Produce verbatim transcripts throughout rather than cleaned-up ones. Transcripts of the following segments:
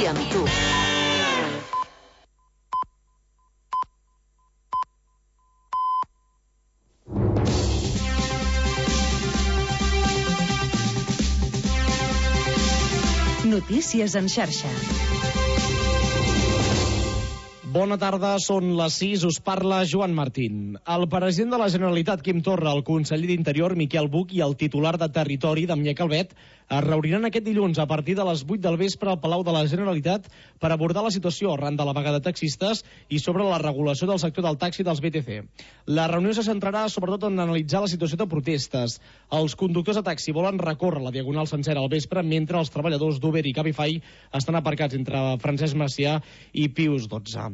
dia amb tu. Notícies en xarxa. Bona tarda, són les sis, us parla Joan Martín. El president de la Generalitat, Quim Torra, el conseller d'Interior, Miquel Buch, i el titular de Territori, Damià Calvet, es reuniran aquest dilluns a partir de les vuit del vespre al Palau de la Generalitat per abordar la situació arran de la vaga de taxistes i sobre la regulació del sector del taxi dels B T C. La reunió se centrarà sobretot en analitzar la situació de protestes. Els conductors de taxi volen recórrer la diagonal sencera al vespre, mentre els treballadors d'Uber i Cabify estan aparcats entre Francesc Macià i Pius dotze.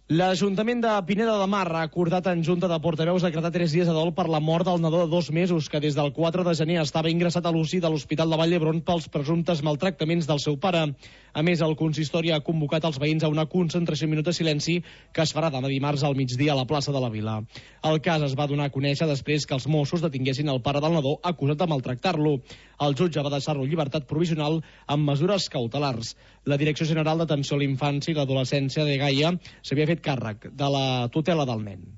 L'Ajuntament de Pineda de Mar ha acordat en Junta de Portaveus decretar tres dies de dol per la mort del nadó de dos mesos que des del quatre de gener estava ingressat a l'U C I de l'Hospital de Vall d'Hebron pels presumptes maltractaments del seu pare. A més, el consistori ha convocat els veïns a una concentració i minut de silenci que es farà demà dimarts al migdia a la plaça de la Vila. El cas es va donar a conèixer després que els Mossos detinguessin el pare del nadó acusat de maltractar-lo. El jutge va deixar-lo en llibertat provisional amb mesures cautelars. La Direcció General d'Atenció a la Infància i l'Adolescència de Gaia s'havia fet càrrec de la tutela del nen.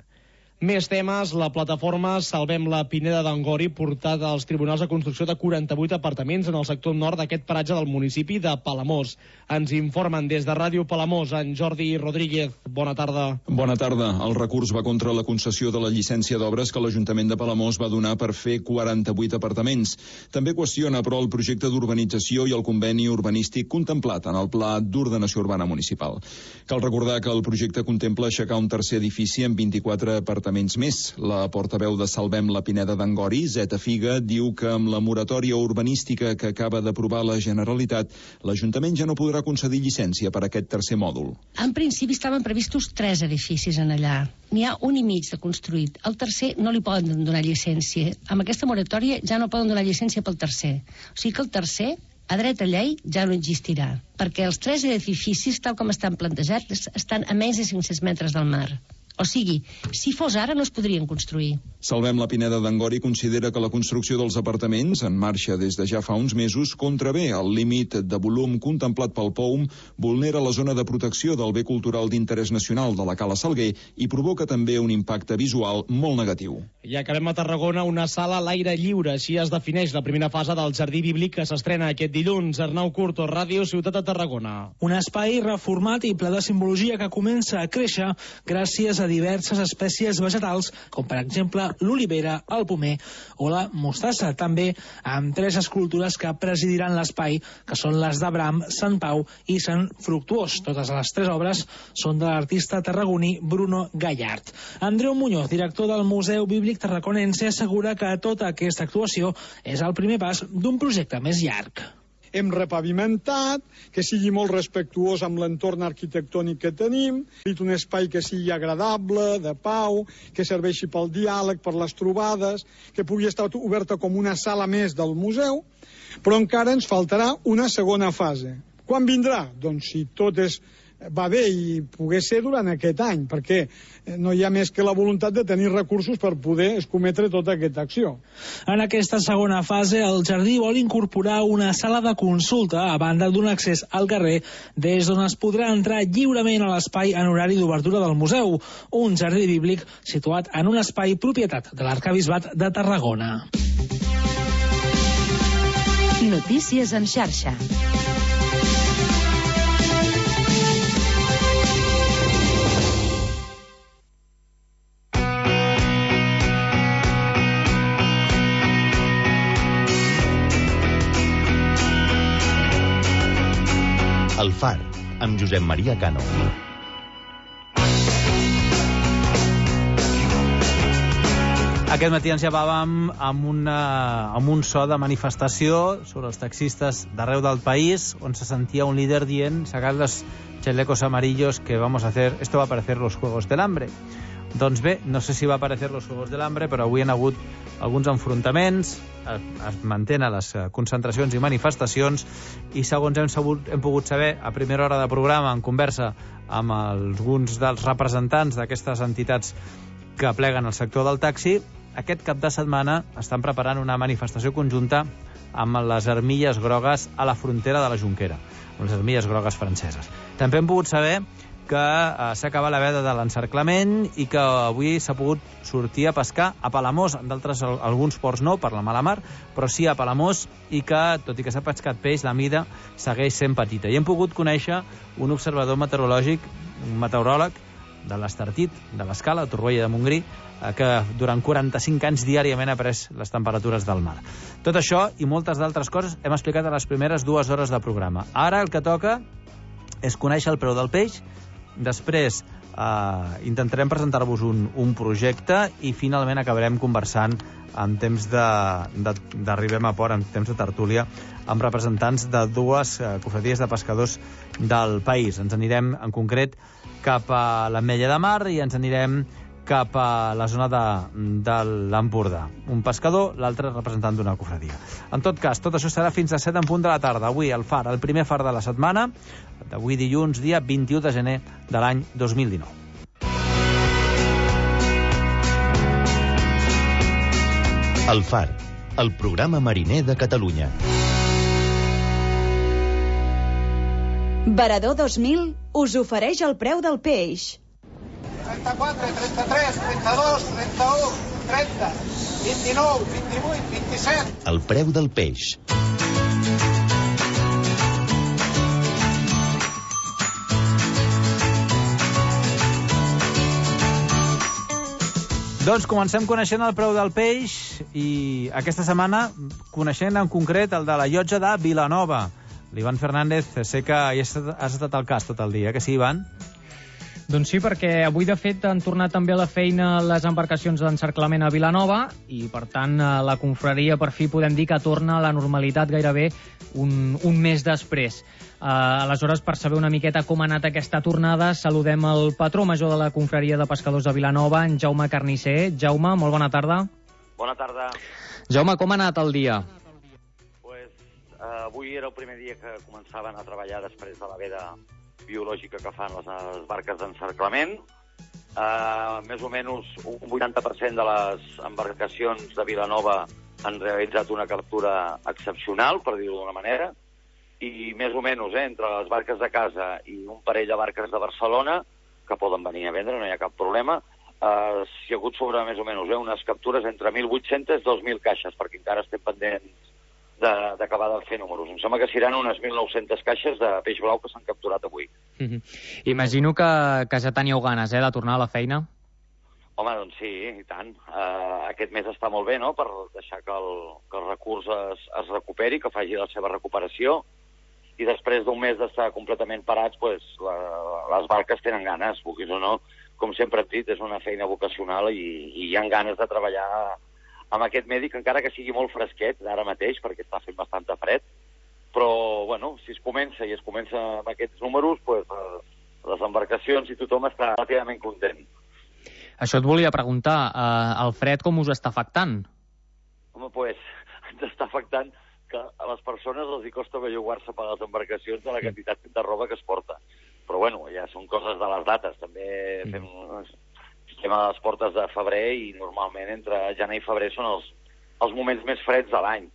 Més temes, la plataforma Salvem la Pineda d'Angori portat als tribunals de construcció de quaranta-vuit apartaments en el sector nord d'aquest paratge del municipi de Palamós. Ens informen des de Ràdio Palamós, en Jordi Rodríguez. Bona tarda. Bona tarda. El recurs va contra la concessió de la llicència d'obres que l'Ajuntament de Palamós va donar per fer quaranta-vuit apartaments. També qüestiona, però, el projecte d'urbanització i el conveni urbanístic contemplat en el Pla d'Ordenació Urbana Municipal. Cal recordar que el projecte contempla aixecar un tercer edifici amb vint-i-quatre apartaments més. La portaveu de Salvem la Pineda d'Angori, Zeta Figa, diu que amb la moratòria urbanística que acaba d'aprovar la Generalitat, l'Ajuntament ja no podrà concedir llicència per a aquest tercer mòdul. En principi estaven previstos tres edificis en allà. N'hi ha un i mig de construït. El tercer no li poden donar llicència. Amb aquesta moratòria ja no poden donar llicència pel tercer. O sigui que el tercer, a dreta llei, ja no existirà, perquè els tres edificis, tal com estan plantejats, estan a menys de cinc-cents metres del mar. O sigui, si fos ara no es podrien construir. Salvem la Pineda d'Angori considera que la construcció dels apartaments, en marxa des de ja fa uns mesos, contravé el límit de volum contemplat pel P O U M, vulnera la zona de protecció del bé cultural d'interès nacional de la Cala Salguer i provoca també un impacte visual molt negatiu. I acabem a Tarragona, una sala a l'aire lliure. Així es defineix la primera fase del Jardí Bíblic que s'estrena aquest dilluns. Arnau Curto, Ràdio Ciutat de Tarragona. Un espai reformat i ple de simbologia que comença a créixer gràcies a diverses espècies vegetals, com per exemple l'olivera, el pomer o la mostassa, també amb tres escultures que presidiran l'espai, que són les d'Abraham, Sant Pau i Sant Fructuós. Totes les tres obres són de l'artista tarragoní Bruno Gallart. Andreu Muñoz, director del Museu Bíblic Tarraconense, assegura que tota aquesta actuació és el primer pas d'un projecte més llarg. Hem repavimentat, que sigui molt respectuós amb l'entorn arquitectònic que tenim, un espai que sigui agradable, de pau, que serveixi pel diàleg, per les trobades, que pugui estar oberta com una sala més del museu, però encara ens faltarà una segona fase. Quan vindrà? Doncs si tot és va bé i pogués ser durant aquest any, perquè no hi ha més que la voluntat de tenir recursos per poder escometre tota aquesta acció. En aquesta segona fase, el jardí vol incorporar una sala de consulta a banda d'un accés al carrer des d'on es podrà entrar lliurement a l'espai en horari d'obertura del museu, un jardí bíblic situat en un espai propietat de l'Arquebisbat de Tarragona. Notícies en xarxa. El Far, amb Josep Maria Cano. Aquest matí ens llevàvem amb, una, amb un so de manifestació sobre els taxistes d'arreu del país, on se sentia un líder dient: sacad los chalecos amarillos que vamos a hacer, esto va a parecer los Juegos del Hambre. Doncs bé, no sé si va aparecer los Juegos del Hambre, però avui han hagut alguns enfrontaments, es mantenen les concentracions i manifestacions, i segons hem, sabut, hem pogut saber a primera hora de programa, en conversa amb alguns dels representants d'aquestes entitats que pleguen el sector del taxi, aquest cap de setmana estan preparant una manifestació conjunta amb les armilles grogues a la frontera de la Jonquera. les armilles grogues franceses. També hem pogut saber que eh, s'ha acabat la veda de l'encerclament i que avui s'ha pogut sortir a pescar a Palamós, d'altres alguns ports no, per la mala mar, però sí a Palamós, i que, tot i que s'ha pescat peix, la mida segueix sent petita. I hem pogut conèixer un observador meteorològic, un meteoròleg de l'Estartit, de l'Escala, a Torroella de Montgrí, eh, que durant quaranta-cinc anys diàriament ha pres les temperatures del mar. Tot això i moltes d'altres coses hem explicat a les primeres dues hores de programa. Ara el que toca és conèixer el preu del peix. Després eh, intentarem presentar-vos un, un projecte i finalment acabarem conversant en temps d'arribem a port, en temps de tertúlia, amb representants de dues eh, cofradies de pescadors del país. Ens anirem en concret cap a l'Ametlla de Mar i ens anirem cap a la zona de, de l'Empordà. Un pescador, l'altre representant d'una cofradia. En tot cas, tot això serà fins a set en punt de la tarda. Avui el far, el primer far de la setmana, d'avui dilluns, dia vint-i-u de gener de l'any dos mil dinou. El far, el programa mariner de Catalunya. Varador dos mil us ofereix el preu del peix. trenta-quatre, trenta-tres, trenta-dos, trenta-u, trenta, vint-i-nou, vint-i-vuit, vint-i-set. El preu del peix. Doncs comencem coneixent el preu del peix i aquesta setmana coneixent en concret el de la llotja de Vilanova. L'Ivan Fernández, sé que hi has estat al cas tot el dia, que sí, Ivan? Doncs sí, perquè avui, de fet, han tornat també a la feina les embarcacions d'encerclament a Vilanova i, per tant, la confraria, per fi, podem dir que torna a la normalitat gairebé un, un mes després. Uh, aleshores, per saber una miqueta com ha anat aquesta tornada, saludem el patró major de la confraria de pescadors de Vilanova, en Jaume Carnisser. Jaume, molt bona tarda. Bona tarda. Jaume, com ha anat el dia? Pues, uh, avui era el primer dia que començaven a treballar després de la veda biològica que fan les, les barques d'encerclament. Uh, més o menys un vuitanta per cent de les embarcacions de Vilanova han realitzat una captura excepcional, per dir-ho d'una manera, i més o menys eh, entre les barques de casa i un parell de barques de Barcelona, que poden venir a vendre, no hi ha cap problema, uh, s'hi ha hagut sobre més o menys eh, unes captures entre mil vuit-cents i dos mil caixes, perquè encara estem pendents d'acabar de, de fer números. Em sembla que seran unes mil nou-centes caixes de peix blau que s'han capturat avui. Mm-hmm. Imagino que, que ja teníeu ganes, eh, de tornar a la feina? Home, doncs sí, i tant. Uh, aquest mes està molt bé, no?, per deixar que el, que el recurs es, es recuperi, que faci la seva recuperació, i després d'un mes d'estar completament parats, pues, la, les barques tenen ganes, vulguis o no. Com sempre hem dit, és una feina vocacional i, i hi ha ganes de treballar amb aquest medi, que encara que sigui molt fresquet ara mateix, perquè està fent bastant de fred, però, bueno, si es comença i es comença amb aquests números, pues, les embarcacions i tothom està relativament content. Això et volia preguntar, eh, el fred com us està afectant? Home, pues, ens està afectant que a les persones els hi costa bellugar-se per les embarcacions de la quantitat de roba que es porta. Però, bueno, ja són coses de les dates. També fem... Estem a les portes de febrer i normalment entre gener i febrer són els, els moments més freds de l'any.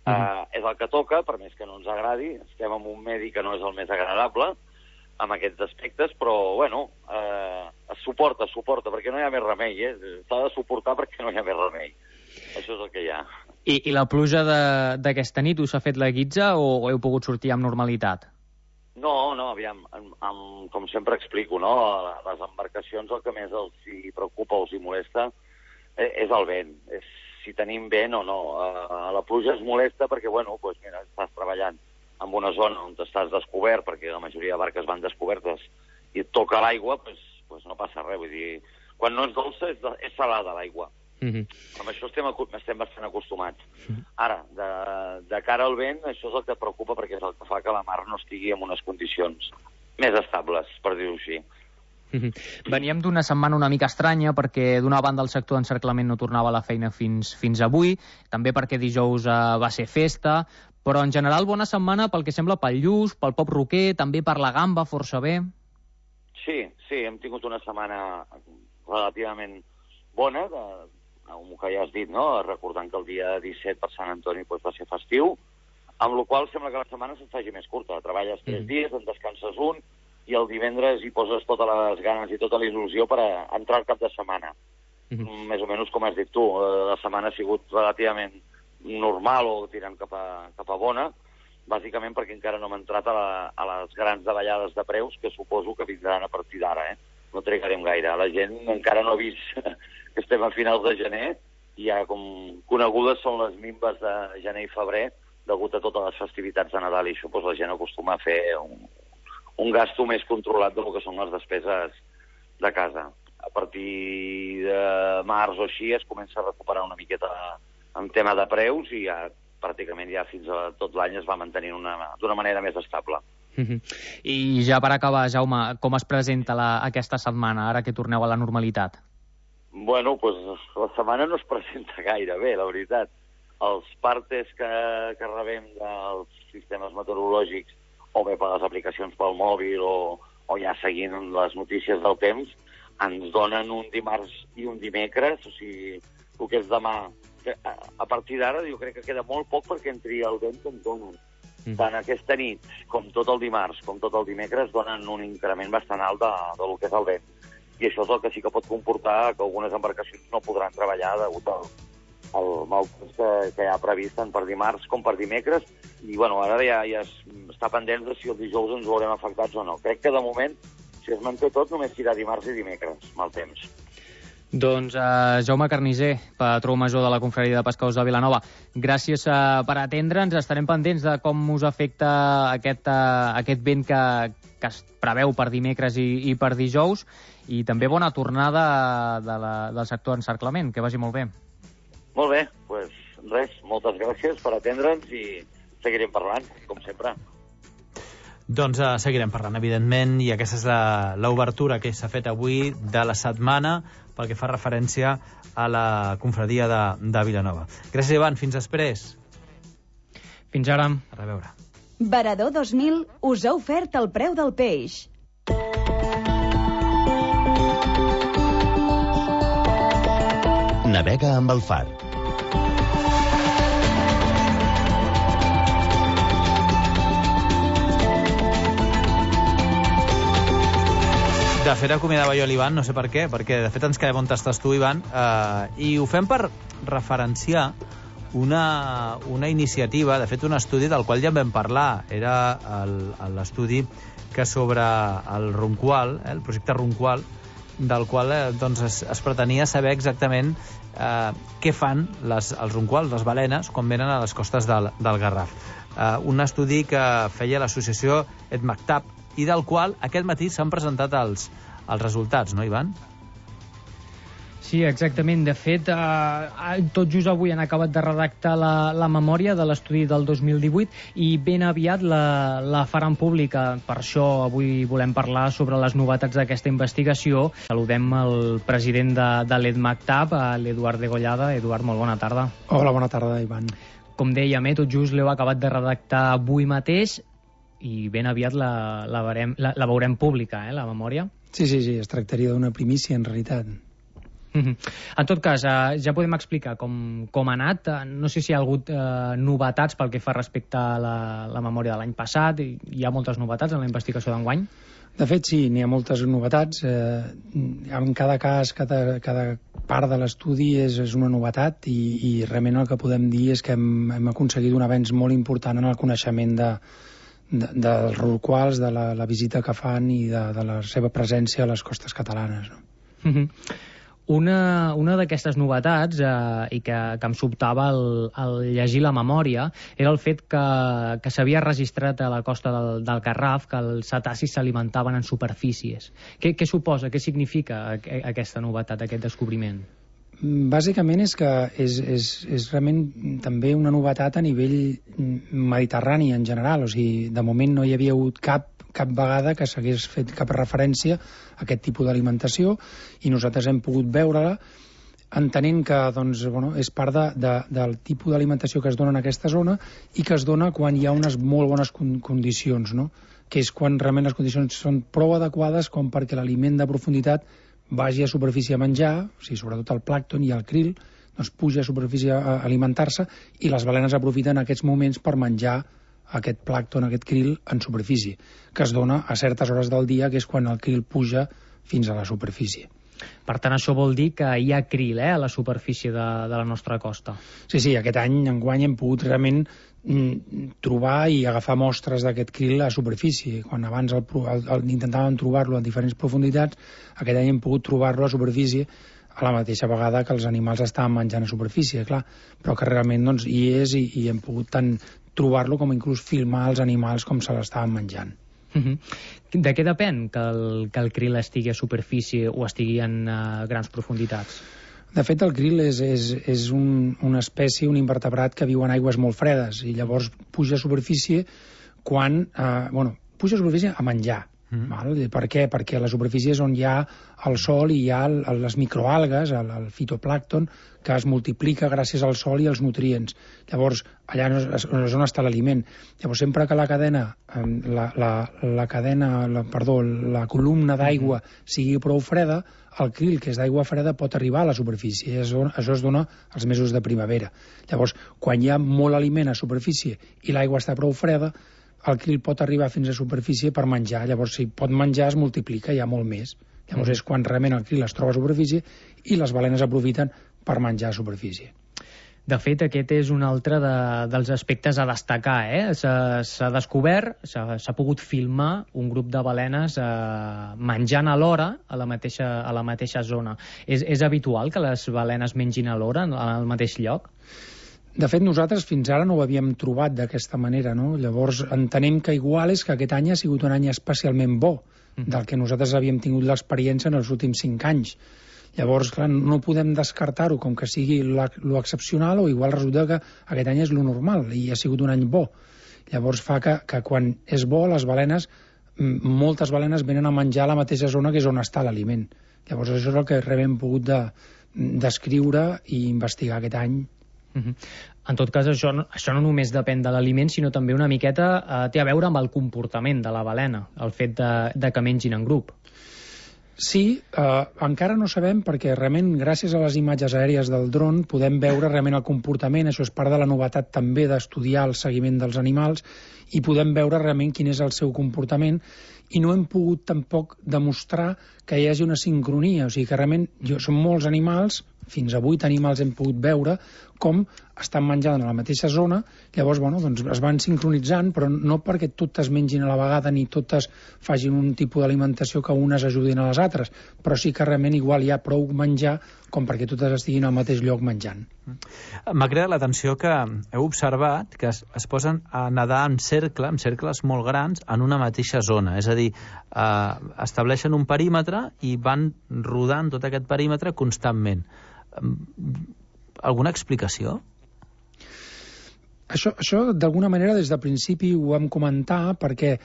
Uh, uh, és el que toca, per més que no ens agradi. Estem en un medi que no és el més agradable amb aquests aspectes, però, bueno, uh, es suporta, es suporta, perquè no hi ha més remei, eh? S'ha de suportar perquè no hi ha més remei. Això és el que hi ha. I, i la pluja d'aquesta nit us ha fet la guitza o, o heu pogut sortir amb normalitat? No, no, aviam, amb, amb, com sempre explico, no? Les embarcacions el que més els hi preocupa o els hi molesta és el vent, és si tenim vent o no. Uh, la pluja es molesta perquè, bueno, pues mira, estàs treballant en una zona on estàs descobert, perquè la majoria de barques van descobertes, i et toca l'aigua, pues, pues no passa res, vull dir, quan no és dolça és, és salada l'aigua. Mm-hmm. Amb això estem, estem bastant acostumats. Mm-hmm. Ara, de, de cara al vent, això és el que preocupa perquè és el que fa que la mar no estigui en unes condicions més estables, per dir-ho així. Mm-hmm. Veníem d'una setmana una mica estranya perquè d'una banda el sector d'encerclament no tornava a la feina fins, fins avui, també perquè dijous eh, va ser festa, però en general bona setmana pel que sembla pel lluç, pel pop roquer, també per la gamba força bé. Sí, sí, hem tingut una setmana relativament bona, de, com que ja has dit, no? Recordant que el dia disset per Sant Antoni pues, va ser festiu. amb la qual sembla que la setmana se't faci més curta. Treballes tres dies, en descanses un, i el divendres hi poses totes les ganes i tota la il·lusió per a entrar al cap de setmana. Mm-hmm. Més o menys com has dit tu, la setmana ha sigut relativament normal o tirant cap a, cap a bona, bàsicament perquè encara no hem entrat a, la, a les grans davallades de preus que suposo que vindran a partir d'ara, eh? No trigarem gaire. La gent encara no ha vist que estem a finals de gener i ja com conegudes són les minves de gener i febrer degut a totes les festivitats de Nadal i això doncs, la gent acostuma a fer un, un gasto més controlat del que són les despeses de casa. A partir de març o així es comença a recuperar una miqueta en tema de preus i ja pràcticament ja fins a tot l'any es va mantenir d'una manera més estable. Uh-huh. I ja per acabar, Jaume, com es presenta la, aquesta setmana, ara que torneu a la normalitat? Bueno, doncs la setmana no es presenta gaire bé, la veritat. Els partes que, que rebem dels sistemes meteorològics, o bé per les aplicacions pel mòbil o, o ja seguint les notícies del temps, ens donen un dimarts i un dimecres, o sigui, el que és demà. A, a partir d'ara jo crec que queda molt poc perquè entri el vent que ens donen. Mm. Tant aquesta nit com tot el dimarts, com tot el dimecres, donen un increment bastant alt de, del que és el vent. I això és el que sí que pot comportar que algunes embarcacions no podran treballar degut al, al mal temps que, que hi ha previst tant per dimarts com per dimecres. I bueno, ara ja, ja es, està pendent de si el dijous ens veurem afectats o no. Crec que de moment, si es manté tot, només serà dimarts i dimecres, mal temps. Doncs uh, Jaume Carnicer, patró major de la Confraria de Pescadors de Vilanova, gràcies uh, per atendre'ns. Estarem pendents de com us afecta aquest, uh, aquest vent que, que es preveu per dimecres i, i per dijous, i també bona tornada de la, del sector encerclament. Que vagi molt bé. Molt bé, doncs res, moltes gràcies per atendre'ns i seguirem parlant, com sempre. Doncs uh, seguirem parlant, evidentment, i aquesta és l'obertura que s'ha fet avui de la setmana pel que fa referència a la confraria de, de Vilanova. Gràcies, Ivan. Fins després. Fins ara. A reveure. Varador dos mil us ha ofert el preu del peix. Navega amb el Far. De fet, acomiadava jo l'Ivan, no sé per què, perquè de fet ens quedem on estàs tu, Ivan, eh, i ho fem per referenciar una, una iniciativa, de fet un estudi del qual ja en vam parlar, era l'estudi que sobre el Ronqual, eh, el projecte Ronqual, del qual eh, doncs es, es pretenia saber exactament eh, què fan les, els ronquals, les balenes, quan venen a les costes del, del Garraf. Eh, un estudi que feia l'associació EDMACTAP, i del qual aquest matí s'han presentat els, els resultats, no, Ivan? Sí, exactament. De fet, eh, tot just avui han acabat de redactar la, la memòria de l'estudi del dos mil divuit i ben aviat la, la faran pública. Per això avui volem parlar sobre les novetats d'aquesta investigació. Saludem el president de, de l'EDMACTAP, l'Eduard Degollada. Eduard, molt bona tarda. Hola, bona tarda, Ivan. Com dèiem, eh, tot just l'heu acabat de redactar avui mateix i ben aviat la, la, veurem, la, la veurem pública, eh, la memòria. Sí, sí, sí, es tractaria d'una primícia, en realitat. Mm-hmm. En tot cas, eh, ja podem explicar com, com ha anat. No sé si hi ha hagut eh, novetats pel que fa respecte a la, la memòria de l'any passat. Hi ha moltes novetats en la investigació d'enguany? De fet, sí, n'hi ha moltes novetats. Eh, en cada cas, cada, cada part de l'estudi és, és una novetat i, i realment el que podem dir és que hem, hem aconseguit un avenç molt important en el coneixement de De, dels rorquals, de la, la visita que fan i de, de la seva presència a les costes catalanes. No? Mm-hmm. Una, una d'aquestes novetats, eh, i que, que em sobtava al, al llegir la memòria, era el fet que, que s'havia registrat a la costa del, del Garraf que els cetacis s'alimentaven en superfícies. Què, què suposa, què significa aquesta novetat, aquest descobriment? Bàsicament és que és, és, és realment també una novetat a nivell mediterrani en general, o sigui, de moment no hi havia hagut cap, cap vegada que s'hagués fet cap referència a aquest tipus d'alimentació i nosaltres hem pogut veure-la entenent que doncs, bueno, és part de, de, del tipus d'alimentació que es dona en aquesta zona i que es dona quan hi ha unes molt bones con condicions, no? Que és quan realment les condicions són prou adequades com perquè l'aliment de profunditat vagi a superfície a menjar, o sigui, sobretot el plàncton i el krill, doncs puja a superfície a alimentar-se i les balenes aprofiten aquests moments per menjar aquest plàncton, aquest krill, en superfície, que es dona a certes hores del dia, que és quan el krill puja fins a la superfície. Per tant, això vol dir que hi ha krill eh, a la superfície de, de la nostra costa. Sí, sí, aquest any, enguany, hem pogut realment mm, trobar i agafar mostres d'aquest krill a superfície. Quan abans el, el, el, intentàvem trobar-lo en diferents profunditats, aquest any hem pogut trobar-lo a superfície a la mateixa vegada que els animals estaven menjant a superfície, clar, però que realment doncs, hi és i, i hem pogut tant trobar-lo com inclús filmar els animals com se l'estaven menjant. Uh-huh. De què depèn que el, que el krill estigui a superfície o estigui en uh, grans profunditats? De fet, el krill és, és, és un, una espècie, un invertebrat que viu en aigües molt fredes i llavors puja a superfície quan... Eh, bueno, puja a superfície a menjar. Mm. Val? Per què? Perquè a la superfície és on hi ha el sol i hi ha el, les microalgues, el, el fitoplàncton, que es multiplica gràcies al sol i als nutrients. Llavors, allà és on està l'aliment. Llavors, sempre que la cadena, la, la, la cadena, la, perdó, la columna d'aigua sigui prou freda, el krill, que és d'aigua freda, pot arribar a la superfície. Això, això es dona als mesos de primavera. Llavors, quan hi ha molt aliment a superfície i l'aigua està prou freda, el krill pot arribar fins a superfície per menjar. Llavors, si pot menjar, es multiplica, hi ha molt més. Llavors, és quan realment el krill es troba a superfície i les balenes aprofiten per menjar a superfície. De fet, aquest és un altre de, dels aspectes a destacar. Eh? S'ha descobert, s'ha pogut filmar un grup de balenes eh, menjant alhora a la mateixa, a la mateixa zona. És, és habitual que les balenes mengin alhora al mateix lloc? De fet, nosaltres fins ara no ho havíem trobat d'aquesta manera, no? Llavors, entenem que igual és que aquest any ha sigut un any especialment bo, del que nosaltres havíem tingut l'experiència en els últims cinc anys. Llavors, clar, no podem descartar-ho com que sigui lo excepcional o igual resulta que aquest any és lo normal i ha sigut un any bo. Llavors fa que, que quan és bo, les balenes, moltes balenes venen a menjar a la mateixa zona que és on està l'aliment. Llavors, això és el que realment hem pogut de, descriure i investigar aquest any. Uh-huh. En tot cas, això, això no només depèn de l'aliment, sinó també una miqueta eh, té a veure amb el comportament de la balena, el fet de, de que mengin en grup. Sí, eh, encara no sabem perquè realment gràcies a les imatges aèries del dron podem veure realment el comportament, això és part de la novetat també d'estudiar el seguiment dels animals i podem veure realment quin és el seu comportament i no hem pogut tampoc demostrar que hi hagi una sincronia, o sigui que realment jo, són molts animals, fins a vuit animals hem pogut veure com estan menjant a la mateixa zona, llavors bueno, doncs es van sincronitzant, però no perquè totes mengin a la vegada ni totes facin un tipus d'alimentació que unes ajudin a les altres, però sí que realment igual hi ha prou menjar com perquè totes estiguin al mateix lloc menjant. M'ha creat l'atenció que heu observat que es, es posen a nedar en cercle, en cercles molt grans, en una mateixa zona, és a dir, eh, estableixen un perímetre i van rodant tot aquest perímetre constantment. Alguna explicació? Això, això d'alguna manera, des de principi ho vam comentar perquè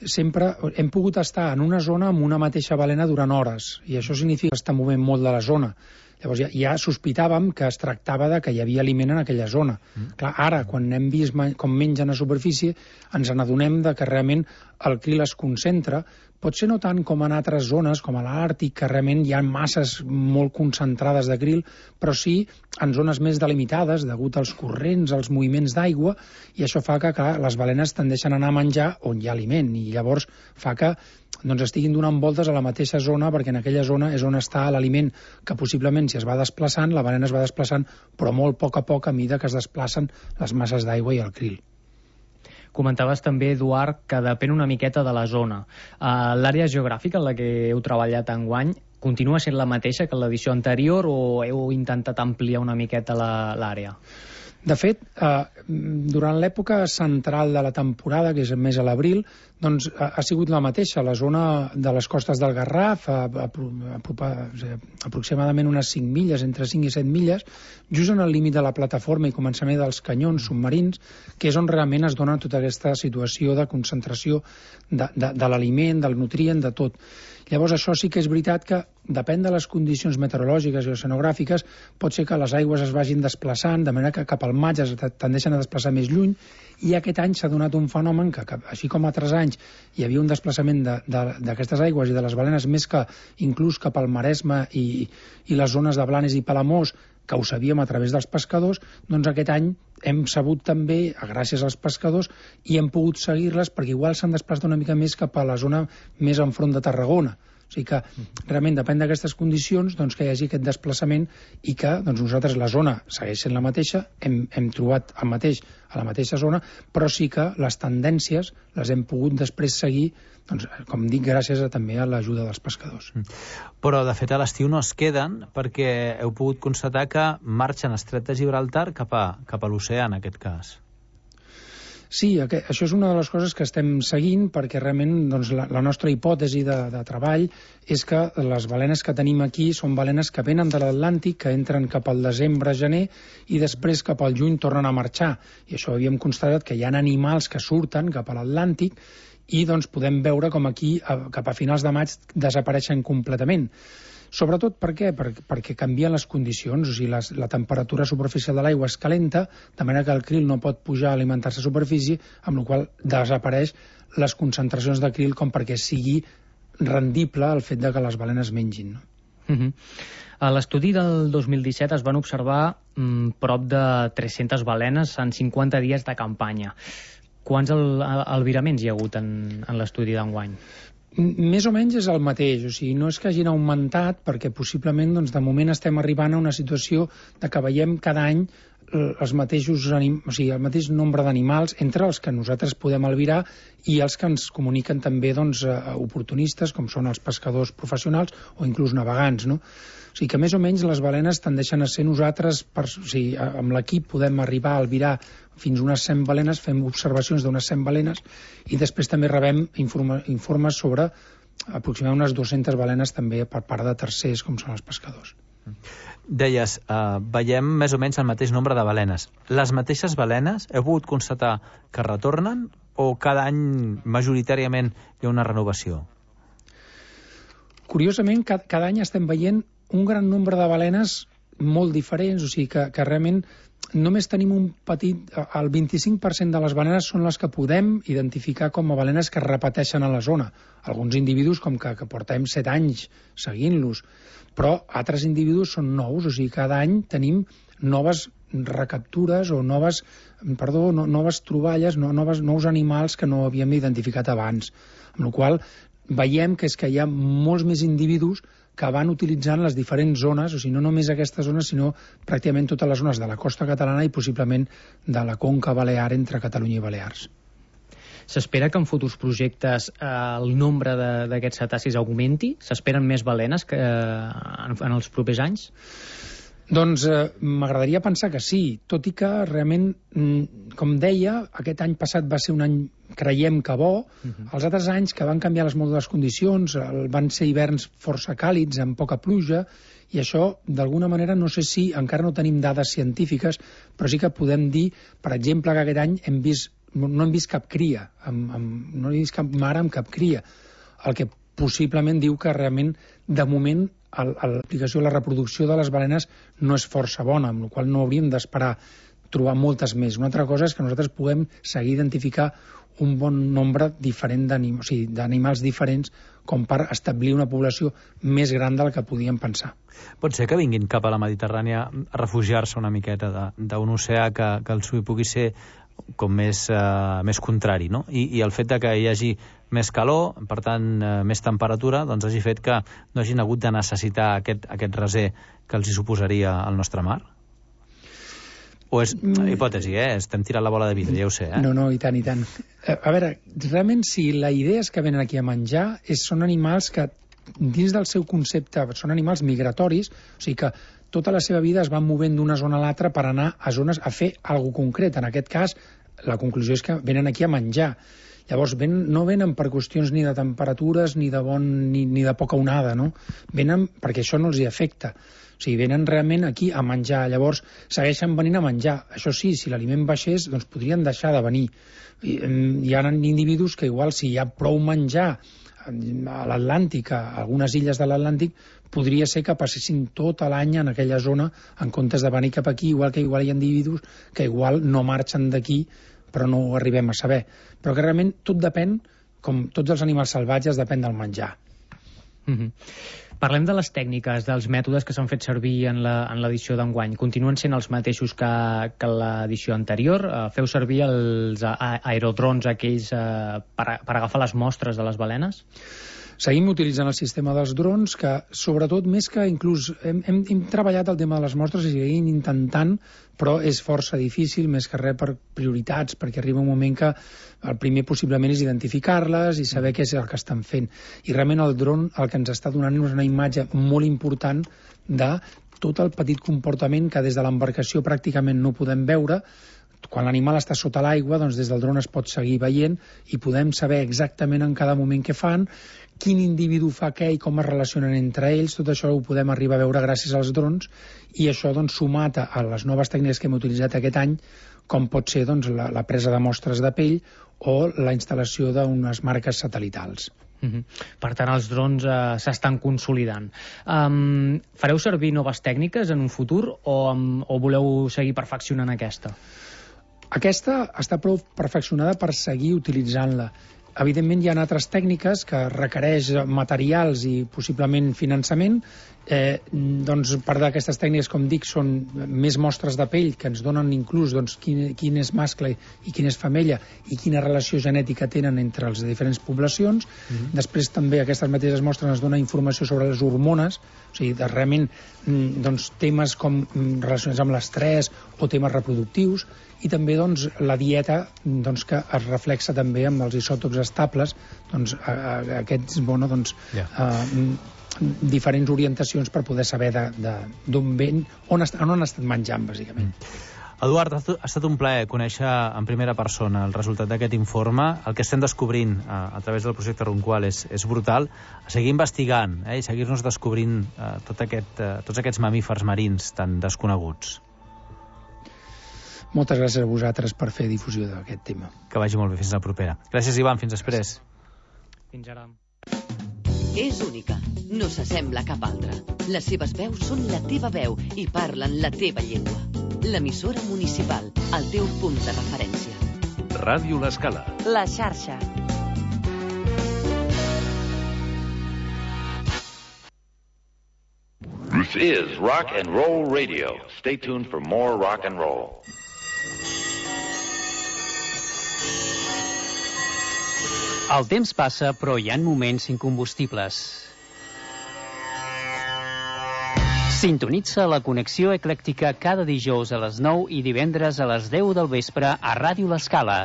sempre hem pogut estar en una zona amb una mateixa balena durant hores i això significa que està movent molt de la zona. Llavors ja, ja sospitàvem que es tractava de que hi havia aliment en aquella zona. Mm. Clar, ara, quan hem vist com mengen a superfície, ens n'adonem de que realment el krill es concentra, potser no tant com en altres zones, com a l'Àrtic, que realment hi ha masses molt concentrades de krill, però sí en zones més delimitades, degut als corrents, als moviments d'aigua, i això fa que clar, les balenes tendeixen a anar a menjar on hi ha aliment, i llavors fa que doncs, estiguin donant voltes a la mateixa zona, perquè en aquella zona és on està l'aliment, que possiblement si es va desplaçant, la balena es va desplaçant, però molt a poc a poc a mida que es desplacen les masses d'aigua i el krill. Comentaves també, Eduard, que depèn una miqueta de la zona. Uh, L'àrea geogràfica en la que heu treballat enguany continua sent la mateixa que l'edició anterior o heu intentat ampliar una miqueta l'àrea? De fet, eh, durant l'època central de la temporada, que és més a l'abril, doncs ha, ha sigut la mateixa. La zona de les costes del Garraf, a, a, a, a, aproximadament unes cinc milles, entre cinc i set milles, just en el límit de la plataforma i començament dels canyons submarins, que és on realment es dona tota aquesta situació de concentració de, de, de l'aliment, del nutrient, de tot. Llavors, això sí que és veritat que depèn de les condicions meteorològiques i oceanogràfiques, pot ser que les aigües es vagin desplaçant, de manera que cap al maig es tendeixen a desplaçar més lluny, i aquest any s'ha donat un fenomen que, que, així com altres anys, hi havia un desplaçament d'aquestes aigües i de les balenes més que inclús cap al Maresme i, i les zones de Blanes i Palamós, que ho sabíem a través dels pescadors, doncs aquest any hem sabut també, gràcies als pescadors, i hem pogut seguir-les perquè igual s'han desplaçat una mica més cap a la zona més enfront de Tarragona. O sigui que realment depèn d'aquestes condicions doncs, que hi hagi aquest desplaçament i que doncs, nosaltres la zona segueix sent la mateixa, hem, hem trobat el mateix a la mateixa zona, però sí que les tendències les hem pogut després seguir, doncs, com dic, gràcies a, també a l'ajuda dels pescadors. Però, de fet, a l'estiu no es queden perquè heu pogut constatar que marxen Estret de Gibraltar cap a, cap a l'oceà, en aquest cas. Sí, això és una de les coses que estem seguint perquè realment doncs, la, la nostra hipòtesi de, de treball és que les balenes que tenim aquí són balenes que venen de l'Atlàntic, que entren cap al desembre, gener i després cap al juny tornen a marxar. I això havíem constatat que hi ha animals que surten cap a l'Atlàntic i doncs, podem veure com aquí cap a finals de maig desapareixen completament. Sobretot per què? Per, perquè canvien les condicions, o sigui, les, la temperatura superficial de l'aigua es calenta, de manera que el krill no pot pujar a alimentar-se a superfície, amb la qual desapareix les concentracions de krill com perquè sigui rendible el fet de que les balenes mengin. No? Uh-huh. A l'estudi del dos mil disset es van observar mm, prop de tres-centes balenes en cinquanta dies de campanya. Quants al, albiraments hi ha hagut en, en l'estudi d'enguany? Més o menys és el mateix, o sigui, no és que hagin augmentat perquè possiblement doncs, de moment estem arribant a una situació de que veiem cada any els mateixos anim... o sigui, el mateix nombre d'animals entre els que nosaltres podem albirar i els que ens comuniquen també doncs, oportunistes, com són els pescadors professionals o inclús navegants, no? O sigui que més o menys les balenes tendeixen a ser nosaltres, per, o sigui, amb l'equip podem arribar a albirar fins a unes cent balenes, fem observacions d'unes cent balenes i després també rebem informa, informes sobre aproximadament unes dues-centes balenes també per part de tercers, com són els pescadors. Deies, eh, veiem més o menys el mateix nombre de balenes. Les mateixes balenes heu pogut constatar que retornen o cada any majoritàriament hi ha una renovació? Curiosament, cada, cada any estem veient un gran nombre de balenes molt diferents, o sigui que, que realment només tenim un petit... El vint-i-cinc per cent de les balenes són les que podem identificar com a balenes que es repeteixen a la zona. Alguns individus com que, que portem set anys seguint-los, però altres individus són nous, o sigui, cada any tenim noves recaptures o noves, perdó, no, noves troballes, no, noves, nous animals que no havíem identificat abans. Amb la qual veiem que és que hi ha molts més individus que van utilitzant les diferents zones, o sigui, no només aquesta zona, sinó pràcticament totes les zones de la costa catalana i possiblement de la conca balear entre Catalunya i Balears. S'espera que en futurs projectes eh, el nombre d'aquests cetacis augmenti? S'esperen més balenes que, eh, en, en els propers anys? Doncs eh, m'agradaria pensar que sí, tot i que realment, com deia, aquest any passat va ser un any, creiem que bo, uh-huh. Els altres anys que van canviar les molt les condicions, van ser hiverns força càlids, amb poca pluja, i això, d'alguna manera, no sé si, encara no tenim dades científiques, però sí que podem dir, per exemple, que aquest any hem vist, no hem vist cap cria, amb, amb, no hem vist cap mare amb cap cria, el que possiblement diu que realment, de moment, l'aplicació de la reproducció de les balenes no és força bona, amb la qual no hauríem d'esperar trobar moltes més. Una altra cosa és que nosaltres puguem seguir identificar un bon nombre diferent d'animals, o sigui, d'animals diferents com per establir una població més gran del que podíem pensar. Pot ser que vinguin cap a la Mediterrània a refugiar-se una miqueta d'un oceà que, que el suï pugui ser com més, eh, més contrari, no? I, i el fet de que hi hagi més calor, per tant, eh, més temperatura, doncs hagi fet que no hagin hagut de necessitar aquest, aquest reser que els hi suposaria al nostre mar? O és hipòtesi, eh? Estem tirant la bola de vidre, ja ho sé, eh? No, no, i tant, i tant. A veure, realment, si la idea és que venen aquí a menjar, és, són animals que, dins del seu concepte, són animals migratoris, o sigui que tota la seva vida es van movent d'una zona a l'altra per anar a zones a fer alguna concret. En aquest cas, la conclusió és que venen aquí a menjar. Llavors, ven, no venen per qüestions ni de temperatures ni de, bon, ni, ni de poca onada, no? Venen perquè això no els hi afecta. O sigui, venen realment aquí a menjar. Llavors, segueixen venint a menjar. Això sí, si l'aliment baixés, doncs podrien deixar de venir. Hi, hi ha individus que igual, si hi ha prou menjar a l'Atlàntic, a algunes illes de l'Atlàntic, podria ser que passessin tot l'any en aquella zona en comptes de venir cap aquí, igual que igual hi ha individus que igual no marxen d'aquí, però no ho arribem a saber. Però que realment tot depèn, com tots els animals salvatges, depèn del menjar. Mm-hmm. Parlem de les tècniques, dels mètodes que s'han fet servir en l'edició d'enguany. Continuen sent els mateixos que, que l'edició anterior? Uh, feu servir els a, aerodrons aquells uh, per, per agafar les mostres de les balenes? Seguim utilitzant el sistema dels drons, que sobretot, més que inclús hem, hem, hem treballat el tema de les mostres i seguim intentant, però és força difícil, més que res per prioritats, perquè arriba un moment que el primer possiblement és identificar-les i saber què és el que estan fent. I realment el dron el que ens està donant és una imatge molt important de tot el petit comportament que des de l'embarcació pràcticament no podem veure. Quan l'animal està sota l'aigua, doncs des del dron es pot seguir veient i podem saber exactament en cada moment què fan, quin individu fa què i com es relacionen entre ells. Tot això ho podem arribar a veure gràcies als drons, i això doncs, sumat a les noves tècniques que hem utilitzat aquest any, com pot ser doncs, la, la presa de mostres de pell o la instal·lació d'unes marques satelitals. Uh-huh. Per tant, els drons eh, s'estan consolidant. Um, fareu servir noves tècniques en un futur o, um, o voleu seguir perfeccionant aquesta? Aquesta està prou perfeccionada per seguir utilitzant-la. Evidentment, hi ha altres tècniques que requereix materials i possiblement finançament. Eh, doncs, part d'aquestes tècniques, com dic, són més mostres de pell que ens donen inclús doncs, quin, quin és mascle i quin és femella i quina relació genètica tenen entre les diferents poblacions. Mm-hmm. Després també aquestes mateixes mostres ens donen informació sobre les hormones, o sigui, de, realment doncs, temes com relacionats amb l'estrès o temes reproductius, i també doncs, la dieta doncs, que es reflexa també amb els isòtops estables, doncs, a, a, aquests, bueno, doncs, yeah. a, diferents orientacions per poder saber d'on ven, on, est, on han estat menjant, bàsicament. Mm. Eduard, ha estat un plaer conèixer en primera persona el resultat d'aquest informe. El que estem descobrint a, a través del projecte Runqual és, és brutal. A seguir investigant eh, i seguir-nos descobrint eh, tot aquest, eh, tots aquests mamífers marins tan desconeguts. Moltes gràcies a vosaltres per fer difusió d'aquest tema. Que vagi molt bé, fins la propera. Gràcies, Ivan, fins després. Fins ara. És única, no s'assembla a cap altra. Les seves veus són la teva veu i parlen la teva llengua. L'emissora municipal, el teu punt de referència. Ràdio L'Escala. La xarxa. This is Rock and Roll Radio. Stay tuned for more rock and roll. El temps passa, però hi ha moments incombustibles. Sintonitza la connexió eclèctica cada dijous a les nou i divendres a les deu del vespre a Ràdio L'Escala.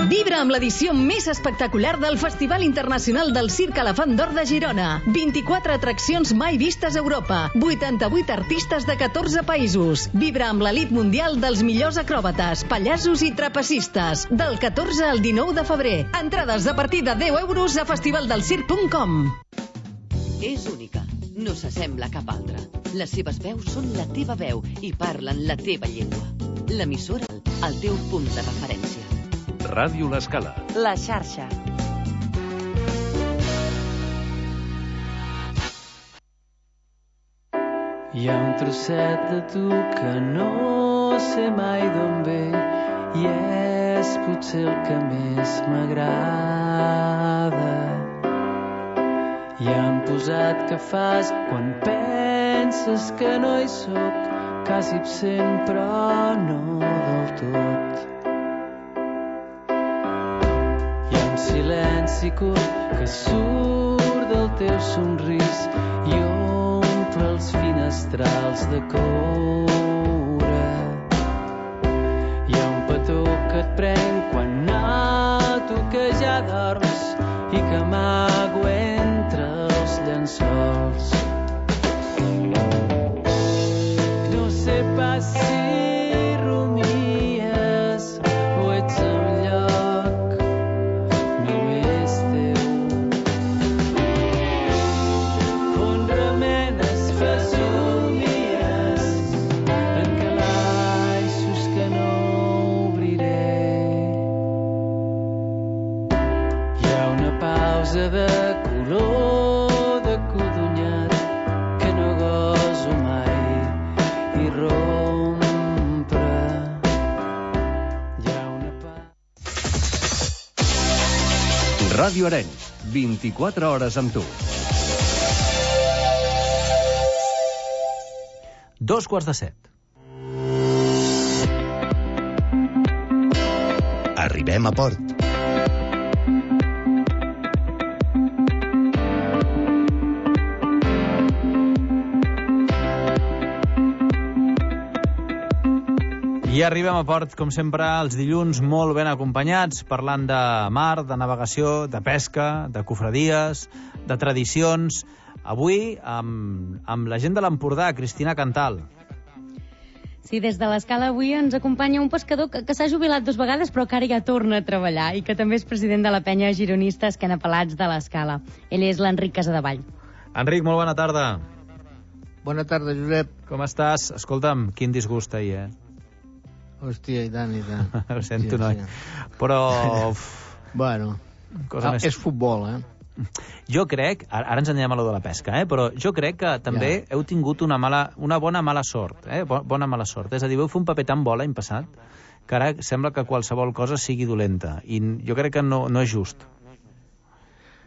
Vibra amb l'edició més espectacular del Festival Internacional del Circ Elefant d'Or de Girona. vint-i-quatre atraccions mai vistes a Europa. vuitanta-vuit artistes de catorze països. Vibra amb l'elit mundial dels millors acròbates, pallassos i trapecistes. Del catorze al dinou de febrer. Entrades a partir de deu euros a festivaldelsirc punt com. És única, no s'assembla a cap altra. Les seves veus són la teva veu i parlen la teva llengua. L'emissora, el teu punt de referència. Ràdio L'Escala. La xarxa. Hi ha un trosset de tu que no sé mai d'on ve i és potser el que més m'agrada. I han posat que fas quan penses que no hi soc, quasi absent però no del tot. Silenci curt que surt del teu somrís i omple els finestrals de coure. Hi ha un petó que et pren quan noto que ja dorms i que amago entre els llençols. No sé pas si de color de codonyat Ràdio Arenys, vint-i-quatre hores amb tu. Dos quarts de set. Arribem a port. I arribem a port, com sempre, els dilluns molt ben acompanyats, parlant de mar, de navegació, de pesca, de cofradies, de tradicions. Avui, amb, amb la gent de l'Empordà, Cristina Cantal. Sí, des de l'Escala avui ens acompanya un pescador que, que s'ha jubilat dues vegades però que ara ja torna a treballar i que també és president de la penya gironista Esquenapelats de l'Escala. Ell és l'Enric Casadevall. Enric, molt bona tarda. Bona tarda, Josep. Com estàs? Escolta'm, quin disgust ahir, eh? Hòstia, i tant, i tant. Ho sento, sí, noi. Sí. Però... bueno, cosa ah, més... és futbol, eh? Jo crec, ara, ara ens anirem a lo de la pesca, eh? Però jo crec que també ja. heu tingut una, mala, una bona mala sort, eh? Bona mala sort. És a dir, vau fer un paper tan bo l'any passat que ara sembla que qualsevol cosa sigui dolenta. I jo crec que no, no és just.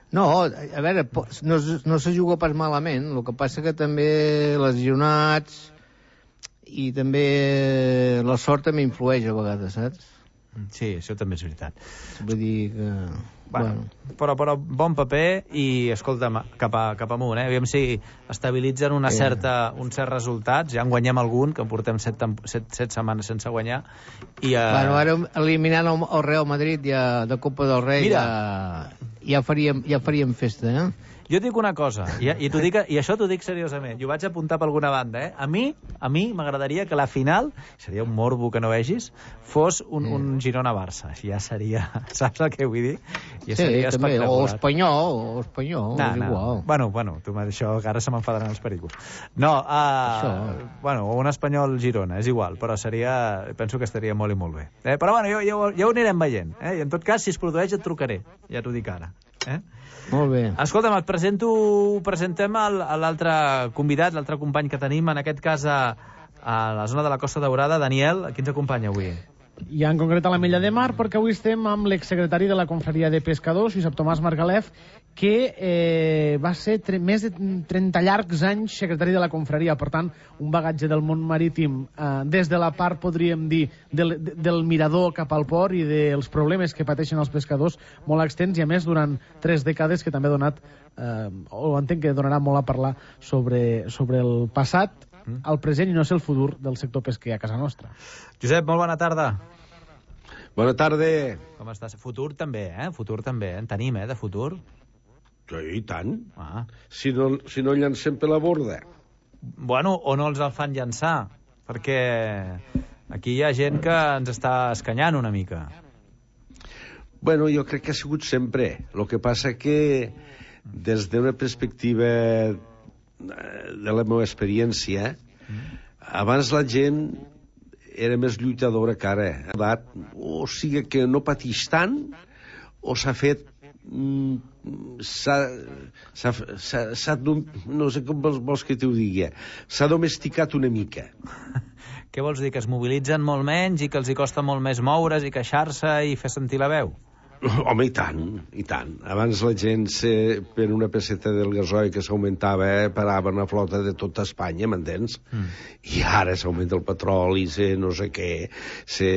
No, a veure, no, no se juga pas malament. El que passa que també lesionats i també la sort també influeix a vegades, saps? Sí, això també és veritat. Vull dir que... Bueno, bueno. Però, però bon paper i, escolta'm, cap, a, cap amunt, eh? Aviam si estabilitzen una sí. certa, uns certs resultats. Ja en guanyem algun, que portem set, set, set setmanes sense guanyar. I, uh... Bueno, ara eliminant el, el Real Madrid ja, de Copa del Rei, ja, ja, faríem, ja faríem festa, eh? Jo et dic una cosa, i, i, dic, i això t'ho dic seriosament, i ho vaig apuntar per alguna banda, eh? A mi a mi m'agradaria que la final, seria un morbo que no vegis, fos un, mm. un Girona-Barça. Ja seria, saps el que vull dir? Ja sí, seria també, espectacular. o espanyol, o espanyol, no, és no. igual. Bueno, bueno, tu, això, que ara se m'enfadaran els pericos. No, uh, bueno, un espanyol-Girona, és igual, però seria, penso que estaria molt i molt bé. Eh? Però bueno, ja, ja, ja ho anirem veient, eh? I en tot cas, si es produeix et trucaré, ja t'ho dic ara. Eh? Molt bé. Escolta'm, et presento, presentem l'altre convidat, l'altre company que tenim, en aquest cas a, a la zona de la Costa Daurada. Daniel, qui ens acompanya avui? I en concret a la Mella de Mar, perquè avui estem amb l'exsecretari de la Confraria de Pescadors, Josep Tomàs Margalef, que eh, va ser més de trenta llargs anys secretari de la Confraria, per tant, un bagatge del món marítim eh, des de la part, podríem dir, del, del mirador cap al port i dels problemes que pateixen els pescadors molt extens, i a més durant tres dècades que també ha donat, eh, o entenc que donarà molt a parlar sobre, sobre el passat, el present i no sé el futur del sector pesquer a casa nostra. Josep, molt bona tarda. Bona tarda. Com estàs? Futur també, eh? Futur també, en tenim, eh, de futur. Sí, i tant. Ah. Si no, si no llancem per la borda. Bueno, o no els el fan llançar, perquè aquí hi ha gent que ens està escanyant una mica. Bueno, jo crec que ha sigut sempre. El que passa que des d'una perspectiva de la meva experiència, abans la gent era més lluitadora que ara. O sigui que no patix tant, o s'ha fet... s'ha... no sé com vols que t'ho digui. S'ha domesticat una mica. Què vols dir? Que es mobilitzen molt menys i que els hi costa molt més moure's i queixar-se i fer sentir la veu? Home, i tant, i tant. Abans la gent, se, per una peseta del gasoil que s'augmentava, eh, parava una flota de tota Espanya, m'entens? Mm. I ara s'augmenta el petroli, se no sé què, se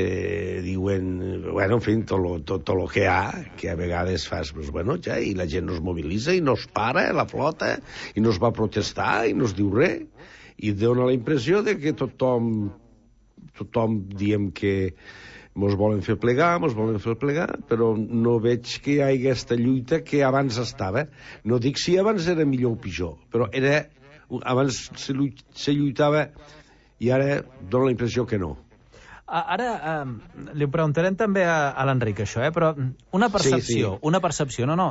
diuen... Bueno, en fi, tot lo, tot, tot lo que hi ha, que a vegades fas, pues, bueno, ja, i la gent no es mobilitza i no es para, la flota, i no es va protestar i no es diu res. I dona la impressió de que tothom, tothom diem que mos volen fer plegar, mos volen fer plegar, però no veig que hi hagi aquesta lluita que abans estava. No dic si abans era millor o pitjor, però era, abans se, se lluitava i ara dona la impressió que no. Ara eh, li preguntarem també a, a l'Enric això, eh? Però una percepció, sí, sí. una percepció, no, no,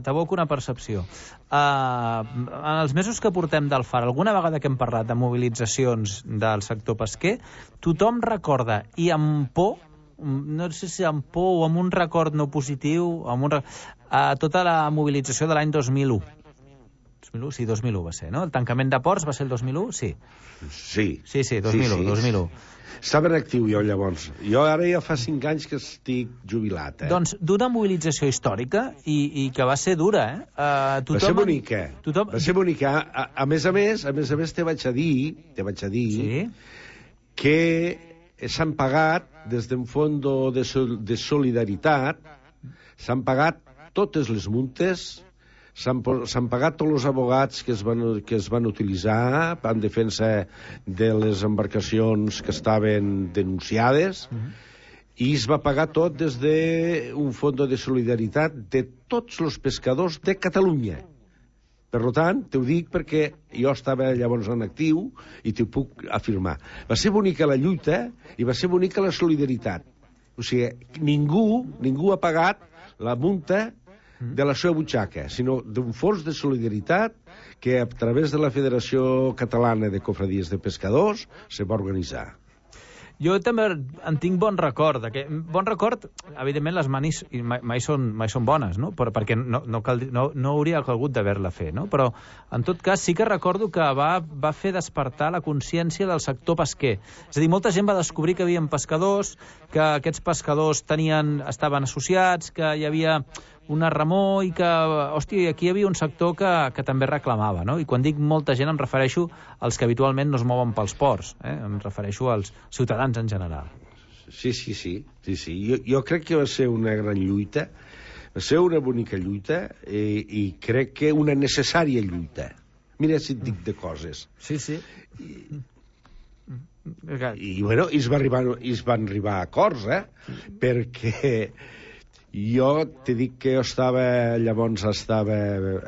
t'aboco una percepció. Uh, en els mesos que portem del Far, alguna vegada que hem parlat de mobilitzacions del sector pesquer, tothom recorda, i amb por, no sé si amb por o amb un record no positiu, amb un, uh, tota la mobilització de l'any dos mil u. dos mil u, sí, dos mil u va ser, no? El tancament de ports va ser el dos mil u? Sí. Sí. Sí, sí, dos mil u, sí, sí. dos mil u. Estava en actiu jo, llavors. Jo ara ja fa cinc anys que estic jubilat, eh? Doncs d'una mobilització històrica i, i que va ser dura, eh? Uh, tothom... Va ser bonica. Tothom... Va ser bonica. A, a més a més, a més a més, te vaig a dir, te vaig a dir sí? que s'han pagat, des d'un fons de, sol de solidaritat, s'han pagat totes les multes, s'han pagat tots els advocats que es, van, que es van utilitzar en defensa de les embarcacions que estaven denunciades, uh-huh. i es va pagar tot des d'un fons de solidaritat de tots els pescadors de Catalunya. Per tant, t'ho dic perquè jo estava llavors en actiu i t'ho puc afirmar. Va ser bonica la lluita i va ser bonica la solidaritat. O sigui, ningú, ningú ha pagat la multa de la seva butxaca, sinó d'un fons de solidaritat que a través de la Federació Catalana de Cofradies de Pescadors se va organitzar. Jo també en tinc bon record. Que, bon record, evidentment, les manis mai, mai, són, mai són bones, no? Però, perquè no, no, cal, no, no hauria calgut d'haver-la fer, no? Però, en tot cas, sí que recordo que va, va fer despertar la consciència del sector pesquer. És a dir, molta gent va descobrir que hi havia pescadors, que aquests pescadors tenien, estaven associats, que hi havia una remor i que, hòstia, aquí hi havia un sector que, que també reclamava, no? I quan dic molta gent em refereixo als que habitualment no es mouen pels ports, eh? Em refereixo als ciutadans en general. Sí, sí, sí. sí, sí. Jo, jo crec que va ser una gran lluita, va ser una bonica lluita i, i crec que una necessària lluita. Mira si et dic de coses. Sí, sí. I, i bueno, i es, va arribar, i es van arribar a acords, eh? Perquè jo te dic que jo estava, llavors estava,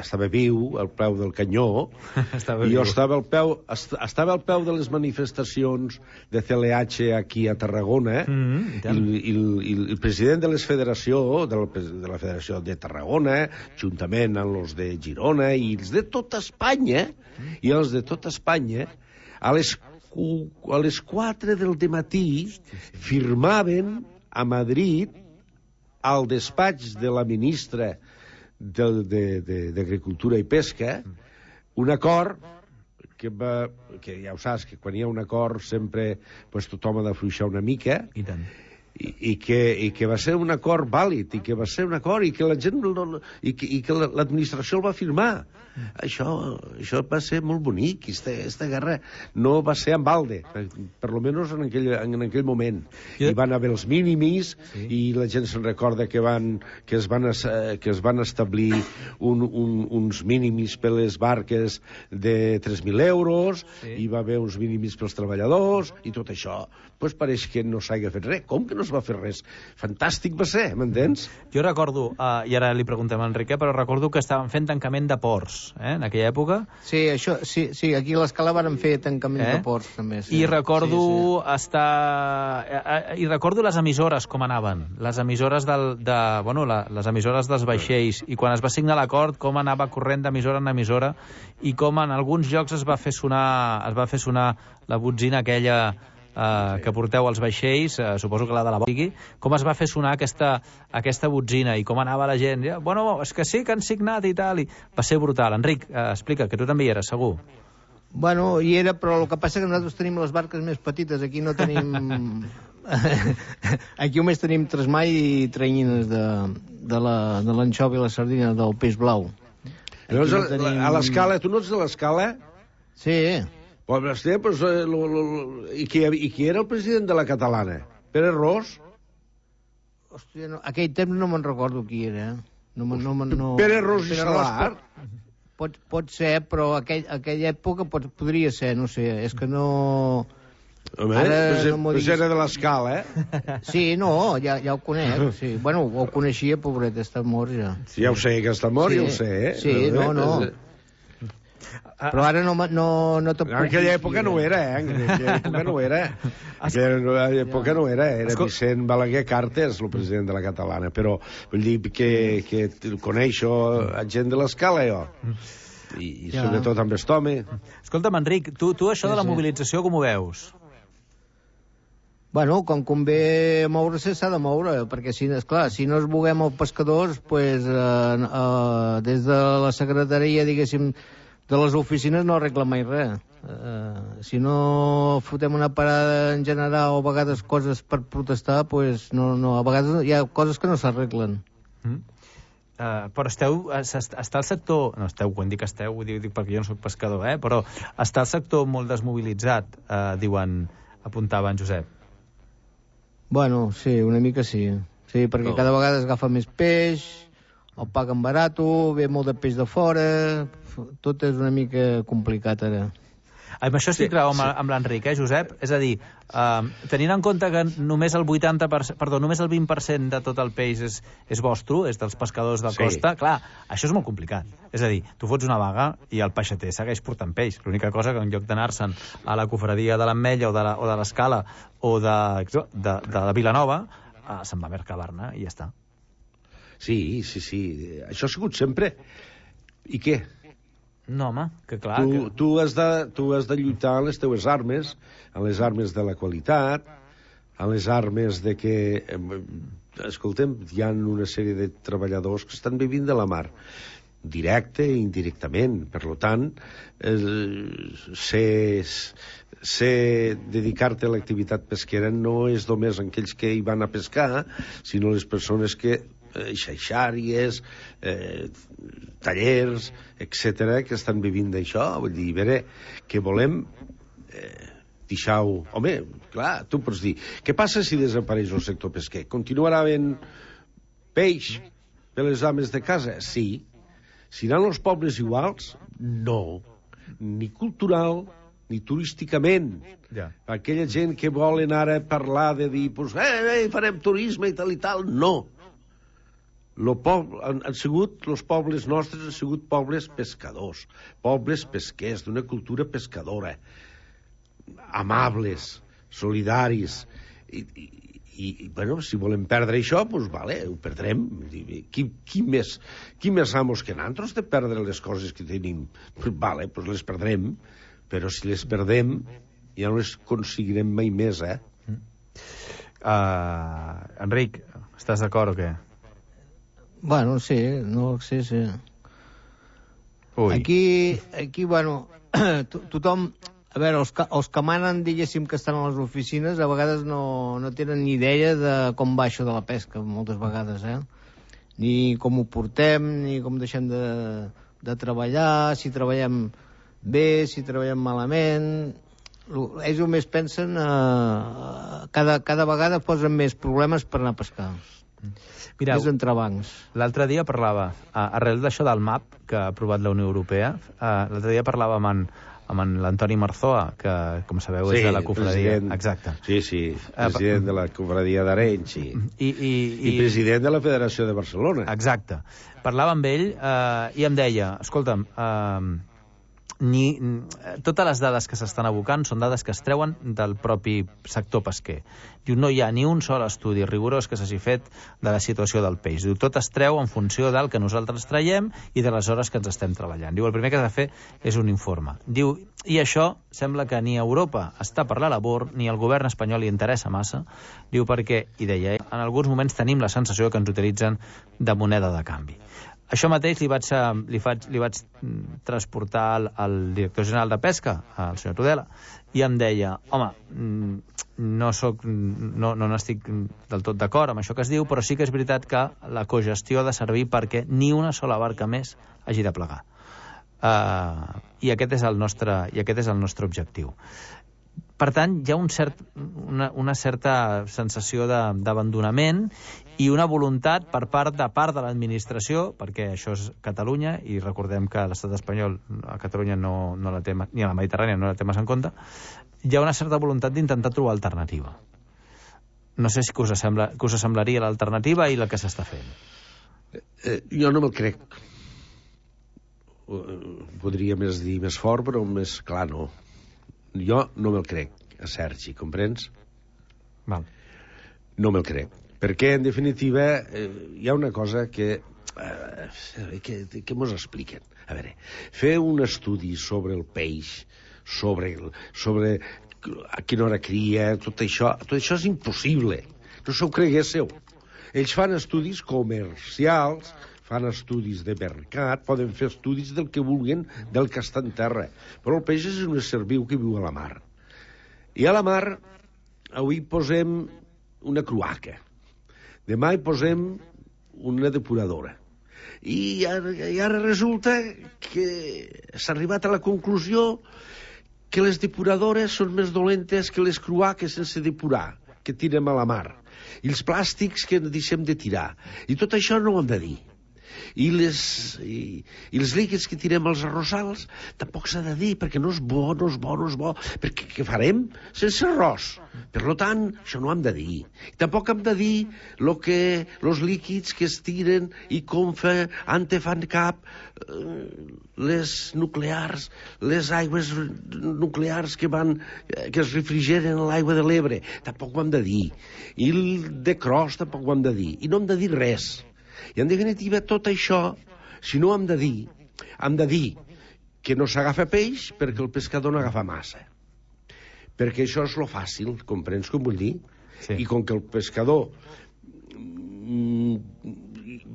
estava viu al peu del canyó, i jo estava al, peu, estava al peu de les manifestacions de C L H aquí a Tarragona, mm, i, i, i el president de la federació, de la, de la Federació de Tarragona, juntament amb els de Girona i els de tota Espanya, i els de tota Espanya, a les, a les quatre del dematí firmaven a Madrid al despatx de la ministra d'Agricultura i Pesca un acord que, va, que ja ho saps, que quan hi ha un acord sempre pues, tothom ha d'afluixar una mica. I tant. I, i, que, i que va ser un acord vàlid, i que va ser un acord, i que la gent i que, i que l'administració el va firmar. Mm. Això, això va ser molt bonic. Esta, esta guerra no va ser en balde, per, per lo menos en aquell, en aquell moment. Yeah. Hi van haver els mínimis, sí. I la gent se'n recorda que, van, que, es van, que es van establir un, un, uns mínimis per les barques de tres mil euros, sí. Hi va haver uns mínimis pels treballadors, i tot això pues pareix que no s'hagi fet res. Com que no es va fer res? Fantàstic va ser, m'entens? Jo recordo, uh, i ara li preguntem a Enrique, però recordo que estaven fent tancament de ports, eh, en aquella època. Sí, això, sí, sí, aquí a l'Escala varen fer tancament eh? de ports, també. Sí. I recordo sí, sí. estar... Uh, I recordo les emissores, com anaven. Les emissores del, de... Bueno, la, les emissores dels vaixells. I quan es va signar l'acord, com anava corrent d'emissora en emissora, i com en alguns llocs es va fer sonar, es va fer sonar la botzina aquella... Uh, sí. que porteu als vaixells, uh, suposo que la de la Bòsigui, com es va fer sonar aquesta, aquesta botzina i com anava la gent. Ja, bueno, és que sí que han signat i tal. I va ser brutal. Enric, uh, explica, que tu també hi eres, segur. Bueno, hi era, però el que passa que nosaltres tenim les barques més petites. Aquí no tenim... Aquí només tenim tresmall i trenyines de, de l'anxova i la sardina del peix blau. No tenim... A l'Escala, tu no ets de l'Escala? Sí. Pues, hòstia, pues, eh, lo, lo, i, qui, I qui era el president de la catalana? Pere Ros? Hòstia, no, aquell temps no me'n recordo qui era. No, no, no, Pere Ros i Salar? Pot, pot ser, però aquell, aquella època pot, podria ser, no sé, és que no... Home, Ara, pues, no pues era de l'Escala, eh? Sí, no, ja, ja ho conec. Sí. Bueno, ho coneixia, pobret, està mort ja. Sí, ja ho sé, que està mort, sí, ja ho sé, eh? Sí, no, no. Però ara no, no, no te puc... En aquella època no era, eh? En aquella època no era. En aquella època no era. Era Vicent Balaguer Cartes, el president de la catalana. Però vull dir que, que coneixo gent de l'Escala, jo. I, i ja. Sobretot amb aquest home. Escolta'm, Enric, tu, tu això de la mobilització com ho veus? Bueno, com convé moure-se, s'ha de moure, perquè, si, esclar, si no es buguem els pescadors, pues, eh, eh, des de la secretaria, diguéssim, de les oficines no arregla mai res. Uh, si no fotem una parada en general o a vegades coses per protestar, pues no, no, a vegades hi ha coses que no s'arreglen. Mm. Uh, però esteu, està el sector, no esteu, quan dic esteu, ho dic, dic perquè jo no soc pescador, eh? Però està el sector molt desmobilitzat, uh, diuen, apuntava en Josep. Bueno, sí, una mica sí. Sí, perquè oh. cada vegada es agafa més peix, el paguen barato, ve molt de peix de fora, tot és una mica complicat ara. Amb això estic sí, amb, sí. amb l'Enric, eh, Josep? És a dir, uh, tenint en compte que només el vuitanta per cent, perdó, només el vint per cent de tot el peix és, és vostre, és dels pescadors de sí. costa, clar, això és molt complicat. És a dir, tu fots una vaga i el peixater segueix portant peix. L'única cosa que en lloc d'anar-se'n a la cofradia de l'Ametlla o de l'Escala o de, de, de, de la Vilanova, uh, se'n va a Mercabarna i ja està. Sí, sí, sí. Això ha sigut sempre. I què? No, home, que clar... Tu, que... tu, has de, tu has de lluitar a les teues armes, a les armes de la qualitat, a les armes de que... Escoltem, hi ha una sèrie de treballadors que estan vivint de la mar, directe i indirectament. Per tant, eh, ser, ser dedicar-te a l'activitat pesquera no és només aquells que hi van a pescar, sinó les persones que eh, xaixàries, eh, tallers, etcètera, que estan vivint d'això. Vull dir, veure, que volem eh, deixar-ho... Home, clar, tu pots dir, què passa si desapareix el sector pesquer? Continuarà havent peix per les ames de casa? Sí. Seran els pobles iguals? No. Ni cultural, ni turísticament. Ja. Aquella gent que volen ara parlar de dir, pues, eh, eh, farem turisme i tal i tal, no. Lo poble, han, han sigut, els pobles nostres han sigut pobles pescadors, pobles pesquers, d'una cultura pescadora, amables, solidaris, i, i, i bueno, si volem perdre això, doncs vale, ho perdrem. Qui, qui, més, qui més amos que nosaltres de perdre les coses que tenim? Pues vale, doncs les perdrem, però si les perdem ja no les aconseguirem mai més, eh? Uh, Enric, estàs d'acord o què? Bueno, sí, no sí, sí. Ui. Aquí, aquí, bueno, to tothom... A veure, els que, els que manen, diguéssim, que estan a les oficines, a vegades no, no tenen ni idea de com va això de la pesca, moltes vegades, eh? Ni com ho portem, ni com deixem de, de treballar, si treballem bé, si treballem malament... Ells només pensen... Eh, cada, cada vegada posen més problemes per anar a pescar. Mireu, més entrebancs. L'altre dia parlava, arrel d'això del M A P que ha aprovat la Unió Europea, l'altre dia parlava amb en, amb en l'Antoni Marzoa, que, com sabeu, sí, és de la cofradia. President, exacte. Sí, sí, president uh, de la cofradia d'Arenys i, i, i, i president de la Federació de Barcelona. Exacte. Parlava amb ell uh, i em deia, escolta'm, uh, ni, totes les dades que s'estan abocant són dades que es treuen del propi sector pesquer. Diu, no hi ha ni un sol estudi rigorós que s'hagi fet de la situació del peix. Diu, tot es treu en funció del que nosaltres traiem i de les hores que ens estem treballant. Diu, el primer que has de fer és un informe. Diu, i això sembla que ni Europa està per la labor, ni el govern espanyol li interessa massa. Diu, perquè, i deia, en alguns moments tenim la sensació que ens utilitzen de moneda de canvi. Això mateix li vaig, li faig, li vaig transportar al, al director general de Pesca, al senyor Tudela, i em deia, home, no soc, no, no n'estic del tot d'acord amb això que es diu, però sí que és veritat que la cogestió ha de servir perquè ni una sola barca més hagi de plegar. Uh, i, aquest és el nostre, I aquest és el nostre objectiu. Per tant, hi ha un cert, una, una certa sensació d'abandonament i una voluntat per part de part de l'administració, perquè això és Catalunya, i recordem que l'estat espanyol a Catalunya no, no la té, ni a la Mediterrània no la té massa en compte, hi ha una certa voluntat d'intentar trobar alternativa. No sé si que us, sembla, que us semblaria l'alternativa i la que s'està fent. Eh, jo no me'l crec. Podria més dir més fort, però més clar no. Jo no me'l crec, a Sergi, comprens? Val. No me'l crec. Perquè, en definitiva, eh, hi ha una cosa que, eh, que, que mos expliquen. A veure, fer un estudi sobre el peix, sobre, el, sobre a quina hora cria, tot això, tot això és impossible. No s'ho creguéssiu. Ells fan estudis comercials, fan estudis de mercat, poden fer estudis del que vulguin, del que està en terra. Però el peix és un ésser viu que viu a la mar. I a la mar, avui posem una cloaca. Demà hi posem una depuradora. I ara, i ara resulta que s'ha arribat a la conclusió que les depuradores són més dolentes que les cloaques sense depurar, que tirem a la mar. I els plàstics que deixem de tirar. I tot això no ho hem de dir. I, les, i, i els líquids que tirem als arrossals tampoc s'ha de dir, perquè no és bo, no és bo, no és bo, perquè què farem sense arròs? Per tant, això no ho hem de dir. I tampoc hem de dir lo que els líquids que es tiren i com fa, ante fan cap eh, les nuclears, les aigües nuclears que van que es refrigeren a l'aigua de l'Ebre, tampoc ho hem de dir. I el de Cros tampoc ho hem de dir. I no hem de dir res. I en definitiva tot això, si no hem de dir, hem de dir que no s'agafa peix perquè el pescador no agafa massa. Perquè això és lo fàcil, comprens com vull dir? Sí. I com que el pescador mm,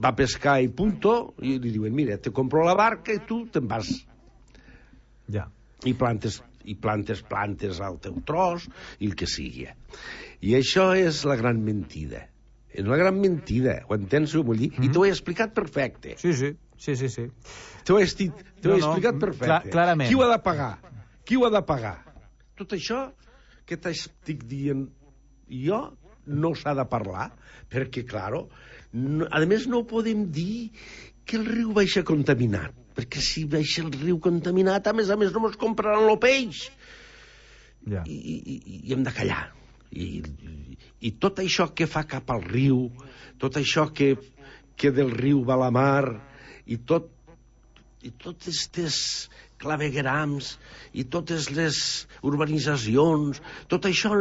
va pescar i punto, i li diuen, mira, te compro la barca i tu te'n vas. Ja. I plantes, i plantes plantes al teu tros i el que sigui. I això és la gran mentida. És una gran mentida, ho entens, ho vull dir? Mm-hmm. I t'ho he explicat perfecte. Sí, sí, sí, sí, sí. T'ho he, estit, t'ho no, he explicat perfecte. Clar, clarament. Qui ho ha de pagar? Qui ho ha de pagar? Tot això que t'estic dient jo no s'ha de parlar, perquè, claro, no, a més no podem dir que el riu baixa contaminat, perquè si baixa el riu contaminat, a més a més no mos compraran el peix. Ja. I, i, i hem de callar. I, i, i tot això que fa cap al riu, tot això que, que del riu va a la mar, i tot i totes aquestes claveguerams i totes les urbanitzacions, tot això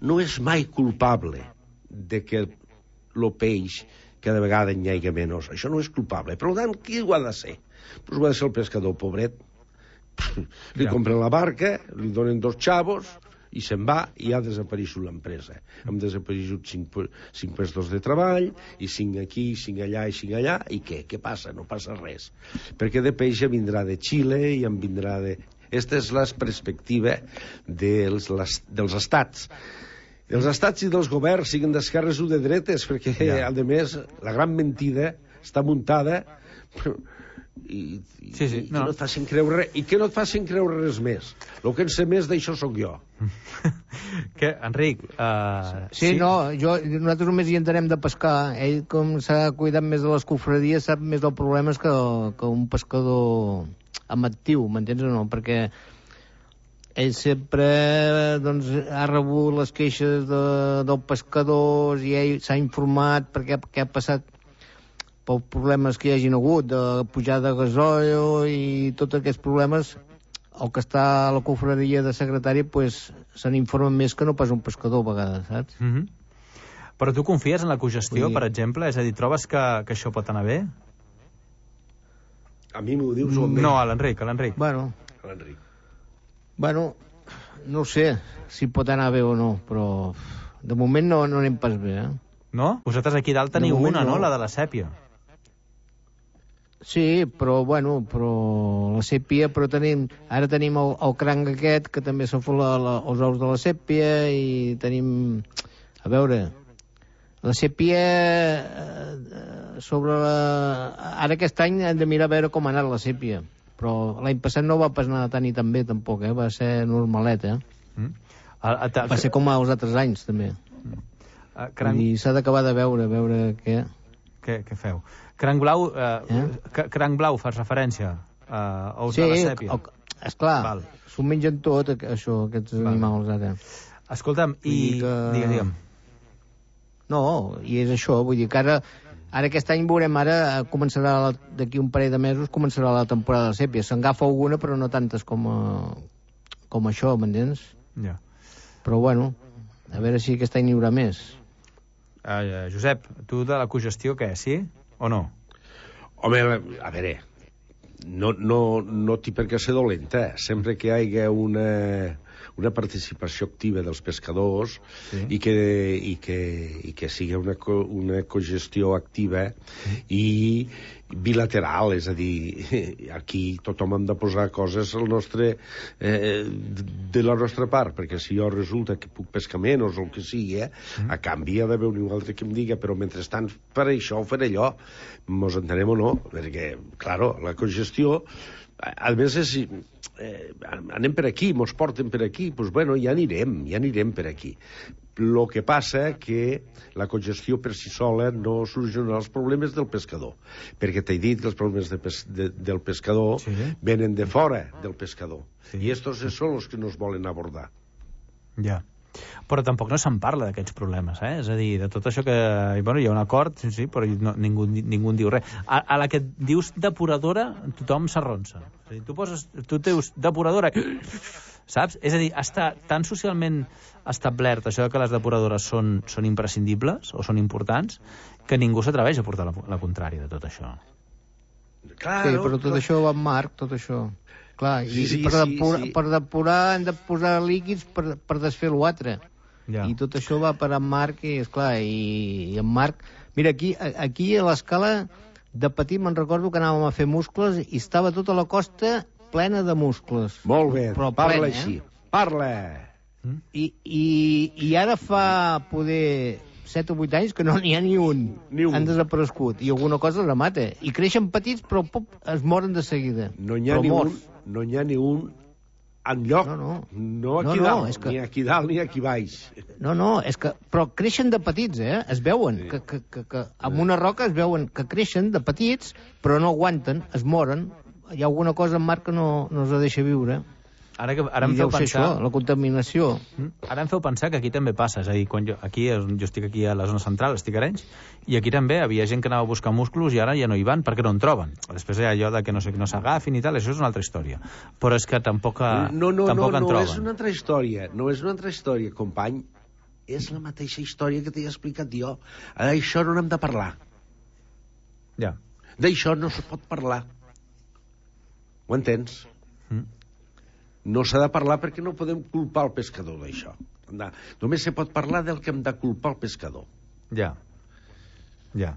no és mai culpable de que el peix cada vegada n'hi hagi menys. Això no és culpable. Per tant, qui ho ha de ser? Pues ho ha de ser el pescador, pobret. Li ja. compren la barca, li donen dos xavos i se'n va i ha desapareixut l'empresa. Hem desapareixut cinc, cinc puestos de treball, i cinc aquí, cinc allà, i cinc allà, i què? Què passa? No passa res. Perquè de peix en vindrà de Xile i en vindrà de... Aquesta és la perspectiva dels, les, dels estats. Els estats i dels governs, siguin d'esquerres o de dretes, perquè, ja. a més, la gran mentida està muntada... I, i, sí, sí, no. I, no et facin creure, i que no et facin creure res més. El que en sé més d'això sóc jo. Que, Enric... Uh, sí, sí, no, jo, nosaltres només hi entenem de pescar. Ell, com s'ha cuidat més de les cofradies, sap més dels problemes que, que un pescador amb actiu, m'entens o no? Perquè ell sempre doncs, ha rebut les queixes de, dels pescadors i ell s'ha informat perquè què ha passat pels problemes que hi hagin hagut, de pujada de gasoil i tots aquests problemes, el que està a la cofradia de secretari, pues, se n'informa més que no pas un pescador a vegades, saps? Mm-hmm. Però tu confies en la cogestió, Vull dir... per exemple? És a dir, trobes que, que això pot anar bé? A mi m'ho dius o a mi? No, a l'Enric, a l'Enric. Bueno, a l'Enric. Bueno, no sé si pot anar bé o no, però de moment no, no anem pas bé, eh? No? Vosaltres aquí dalt teniu una, no? no? La de la sèpia. Sí, però, bueno, però la sèpia, però tenim, ara tenim el, el cranc aquest, que també s'ha fet la, la, els ous de la sèpia, i tenim, a veure, la sèpia eh, sobre la... Ara aquest any hem de mirar a veure com ha anat la sèpia, però l'any passat no va pas anar tan i tan bé, tampoc, eh? Va ser normalet, eh? Mm. A, a, a, va ser com els altres anys, també. Mm. A, cranc... I s'ha d'acabar de veure, veure què... Què, què feu? Cranc blau, eh, eh? Cranc blau fas referència a uh, ous sí, de la sèpia? Sí, esclar, s'ho mengen tot, això, aquests Val. animals ara. Escolta'm, i... Que... Digue'm, digue'm. No, i és això, vull dir que ara, ara aquest any veurem, ara començarà, d'aquí un parell de mesos, començarà la temporada de sèpia. S'engafa alguna, però no tantes com, a, com això, m'entens? Ja. Però bueno, a veure si aquest any n'hi haurà més. Uh, Josep, tu de la cogestió què, sí o no? Home, a veure, no, no, no té per què ser dolenta. Sempre que hi hagi una, una participació activa dels pescadors sí. i, que, i, que, i que sigui una, co, una cogestió activa sí. i bilateral, és a dir, aquí tothom hem de posar coses al nostre, eh, de la nostra part, perquè si jo resulta que puc pescar menys o el que sigui, eh, mm. a canvi ha d'haver un altre que em diga, però mentrestant per això o fer allò, mos entenem o no, perquè, claro, la congestió, a més és, eh, anem per aquí, mos porten per aquí, doncs pues, bueno, ja anirem, ja anirem per aquí. El que passa que la congestió per si sola no soluciona els problemes del pescador, perquè t'he dit que els problemes de pes de, del pescador sí. venen de fora del pescador, sí. i estos són els que nos volen abordar. Ja. Però tampoc no se'n parla d'aquests problemes, eh? És a dir, de tot això que... Bueno, hi ha un acord, sí, sí, però no, ningú, ningú en diu res. A, a la que dius depuradora, tothom s'arronsa. És a dir, tu, poses, tu dius depuradora... Saps? És a dir, està tan socialment establert això que les depuradores són, són imprescindibles o són importants que ningú s'atreveix a portar la, la contrària de tot això. Claro, sí, però tot clar. Això va en marc, tot això. Clar, i, sí, i per, depurar, sí, sí. per depurar hem de posar líquids per, per desfer l'altre. Ja. I tot això va per en marc i, esclar, i, i en marc... Mira, aquí, aquí a l'escala de petit me'n recordo que anàvem a fer muscles i estava tota la costa plena de muscles. Molt bé, però parla plena, així. Eh? Parla! Mm? I, i, I ara fa poder set o vuit anys que no n'hi ha ni un. Ni un. Han desaparegut. I alguna cosa la mata. I creixen petits, però pop, es moren de seguida. No n'hi ha, ni un, no n'hi ha ni un enlloc. No, no. No aquí no, no, dalt, que... ni aquí dalt ni aquí baix. No, no, és que... Però creixen de petits, eh? Es veuen. Sí. Que, que, que, que amb una roca es veuen que creixen de petits, però no aguanten, es moren. Hi ha alguna cosa en mar que no, no els deixa viure. Ara, que, ara em feu pensar... Això, la contaminació. Ara em feu pensar que aquí també passa. És a dir, quan jo, aquí, jo estic aquí a la zona central, estic a Arenys, i aquí també havia gent que anava a buscar músculs i ara ja no hi van perquè no en troben. Després hi ha allò de que no sé, no s'agafin i tal, això és una altra història. Però és que tampoc, no, no, tampoc no, en no, troben. No és una altra història, no és una altra història, company. És la mateixa història que t'he explicat jo. D'això no n'hem de parlar. Ja. D'això no se pot parlar. Ho entens? Mm. No s'ha de parlar perquè no podem culpar el pescador d'això. Només se pot parlar del que hem de culpar el pescador. Ja. Ja.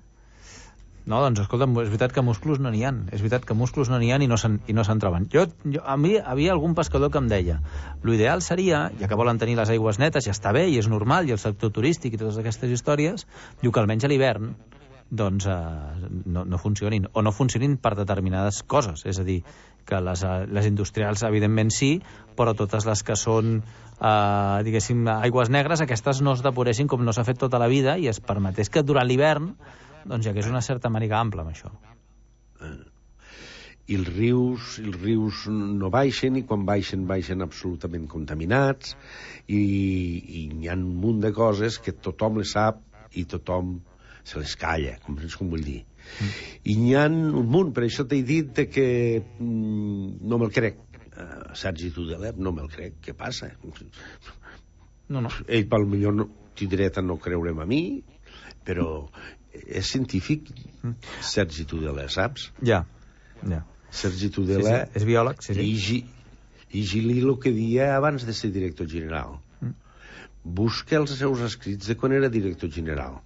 No, doncs, escolta, és veritat que musclos no n'hi ha. És veritat que musclos no n'hi ha i no se'n no se troben. Jo, jo, a mi havia algun pescador que em deia l'ideal seria, ja que volen tenir les aigües netes, ja està bé i és normal, i el sector turístic i totes aquestes històries, diu que almenys a l'hivern doncs eh, no, no funcionin, o no funcionin per determinades coses, és a dir, que les, les industrials evidentment sí, però totes les que són eh, diguéssim, aigües negres, aquestes no es depuressin com no s'ha fet tota la vida i es permetés que durant l'hivern doncs hi hagués una certa màniga ampla amb això. I els rius, els rius no baixen, i quan baixen, baixen absolutament contaminats, i, i hi ha un munt de coses que tothom les sap i tothom se les calla, com, com vull dir. Mm. I n'hi ha un munt, per això t'he dit de que mm, no me'l crec. Uh, Sergi Tudelet, no me'l crec. Què passa? No, no. Ell, pel millor, no, tindreta no creure'm a mi, però és científic, mm. Sergi Tudelet, saps? Ja, ja. Sergi Tudelet... Sí, sí. És biòleg, sí, sí. I, Gi, i Gili el que dia abans de ser director general. Mm. Busca els seus escrits de quan era director general.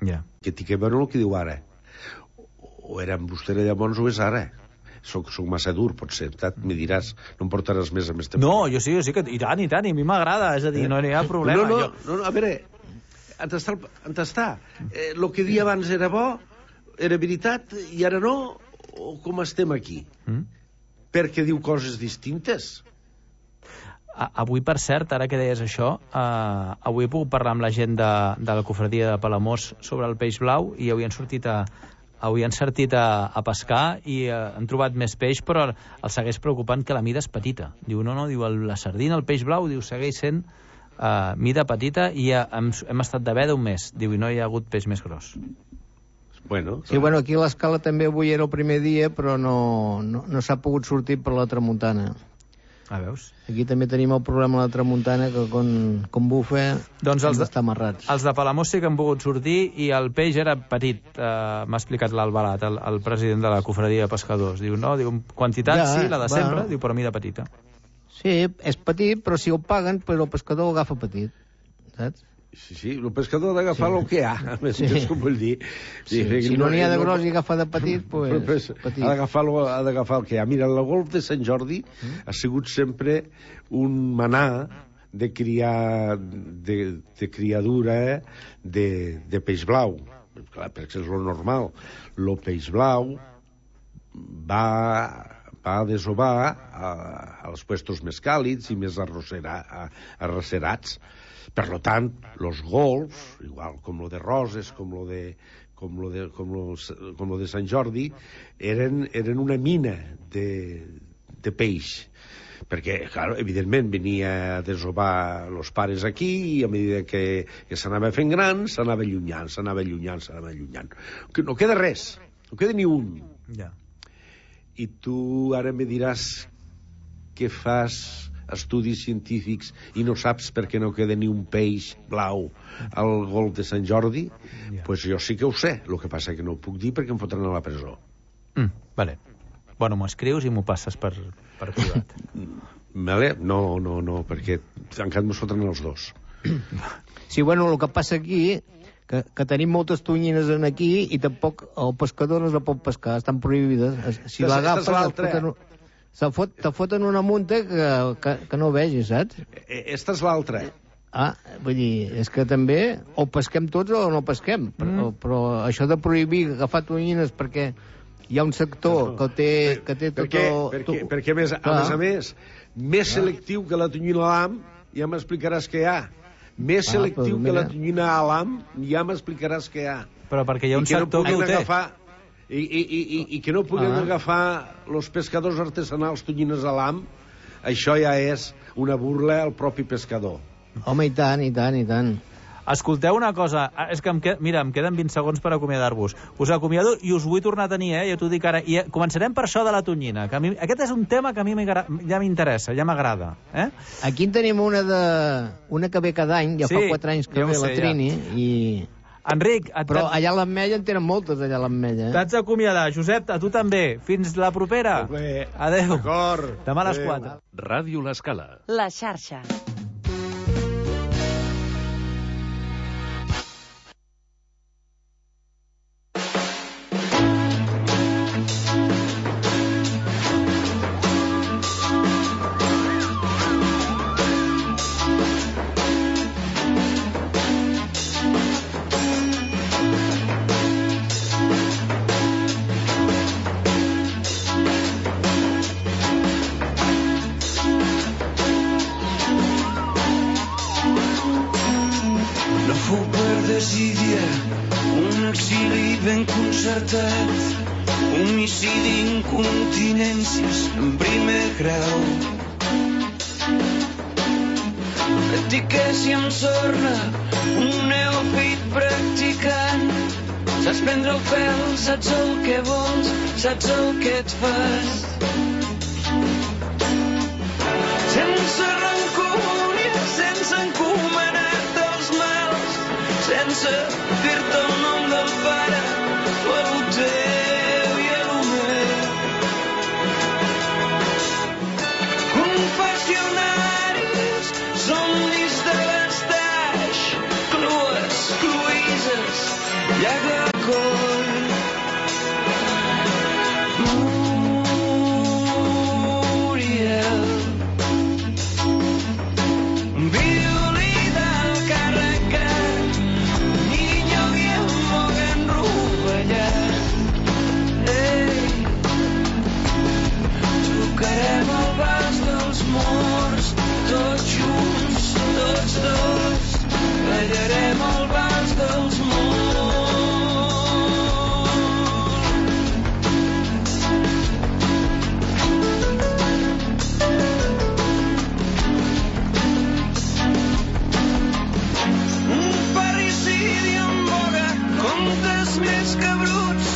Ja. Que tinc que veure el que diu ara. O era amb vostè llavors o és ara. Soc, soc massa dur, potser. Me diràs, no em portaràs més a més temps. No, jo sí, jo sí que... I tant, i tant, i a mi m'agrada. És a dir, eh? no hi ha problema. No, no, jo... no, no a veure, on està? On està? Eh, el que dia abans era bo, era veritat, i ara no? O com estem aquí? Mm? Perquè diu coses distintes. Avui, per cert, ara que deies això, eh, avui he pogut parlar amb la gent de, de la cofradia de Palamós sobre el peix blau i avui han sortit a, avui han sortit a, a pescar i eh, han trobat més peix, però els segueix preocupant que la mida és petita. Diu, no, no, diu, el, la sardina, el peix blau, diu, segueix sent eh, mida petita i ja hem, hem estat de veda un mes. Diu, i no hi ha hagut peix més gros. Bueno, sí, bueno, aquí a l'escala també avui era el primer dia, però no, no, no s'ha pogut sortir per la tramuntana. Ah, veus? Aquí també tenim el problema de la tramuntana, que com, com bufa doncs els de, està amarrats. Els de Palamós sí que han pogut sortir i el peix era petit, eh, m'ha explicat l'Albalat, el, el president de la cofradia de pescadors. Diu, no, diu, quantitat ja, sí, la de sempre, bueno. Diu, però mida petita. Sí, és petit, però si el paguen, però el pescador ho agafa petit, saps? Sí, sí, el pescador ha d'agafar sí. el que hi ha, més sí. com vull dir. Sí. Sí, si no n'hi ha de gros i agafa de petit, pues, pues petit. Ha d'agafar el que hi ha. Mira, el golf de Sant Jordi mm. ha sigut sempre un manà de, criar, de, de criadura de, de peix blau. Clar, perquè és lo normal. El peix blau va, va desovar a, als puestos més càlids i més arrossera, arrocerats. Per lo tant, los golfs, igual com lo de Roses, com lo de, com lo de, com lo, com lo de Sant Jordi, eren, eren una mina de, de peix. Perquè, clar, evidentment, venia a desovar els pares aquí i a mesura que, que s'anava fent gran, s'anava allunyant, s'anava allunyant, s'anava allunyant. Que no queda res, no queda ni un. Ja. I tu ara me diràs què fas estudis científics i no saps per què no queda ni un peix blau al golf de Sant Jordi, yeah. Pues jo sí que ho sé. El que passa que no ho puc dir perquè em fotran a la presó. Mm, vale. Bueno, m'ho escrius i m'ho passes per, per privat. Vale? No, no, no, perquè encara m'ho fotran els dos. Sí, bueno, el que passa aquí que, que tenim moltes tonyines en aquí i tampoc el pescador no es la pot pescar, estan prohibides. Si l'agafes... Te fot, te foten una munta que, que, que no vegis, saps? Esta és l'altra. Ah, vull dir, és que també o pesquem tots o no pesquem, mm. però, però això de prohibir agafar tonyines perquè hi ha un sector que té, que té tot perquè, el... Perquè, perquè més, a més a més, més ah. selectiu que la tonyina a l'am, ja m'explicaràs què hi ha. Més ah, selectiu que la tonyina a l'am, ja m'explicaràs què hi ha. Però perquè hi ha un sector que, que ho té. Agafar... I, i, i, i que no puguin ah. agafar els pescadors artesanals tonyines a l'am, això ja és una burla al propi pescador. Home, i tant, i tant, i tant. Escolteu una cosa, és que em qued... mira, em queden vint segons per acomiadar-vos. Us acomiado i us vull tornar a tenir, eh? Ja t'ho dic ara. I començarem per això de la tonyina, que a mi... aquest és un tema que a mi ja m'interessa, ja m'agrada. Eh? Aquí en tenim una, de... una que ve cada any, ja sí, fa quatre anys que ve la Trini, ja. i... Enric... Et... Però allà a l'Ametlla en tenen moltes, allà a l'Ametlla. Eh? T'haig d'acomiadar. Josep, a tu també. Fins la propera. Bé. Adéu. D'acord. Demà a les quatre. Ràdio L'Escala. La xarxa. Homicidi, incontinències en primer grau. Etiquesi amb sorna, un neòfit practicant. Saps prendre el pèl, saps el que vols, saps el que et fas. Sense rancúnia, sense encomanar-te els mals, sense dir-te el nom del pare o el teu i el meu. Confessionaris, somnis de l'estaix, clues, cluïses, llaga al coll. Muriel, violí del carregat, niño Guillermo ben rovellat. Ei, tocarem el vals dels morts, tots junts, tots dos, ballarem el vals dels morts. Comptes més que bruts,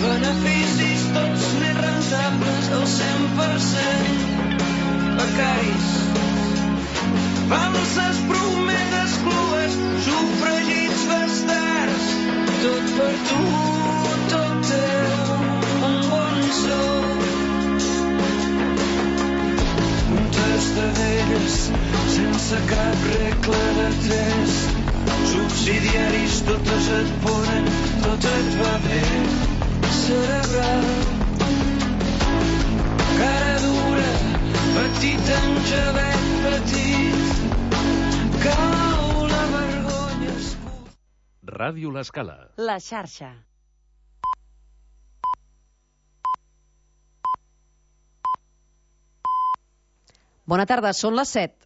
beneficis tots més rentables del cent per cent. Becaris, falses prometes clues, sufragits bastards, tot per tu, tot teu, un bon sou. Un sense cap regla de tres. Subsidiaris, totes et ponen, tot et va bé. Cerebral, cara dura, petit engevet petit, cau la vergonya. Ràdio L'Escala. La xarxa. Bona tarda, són les set.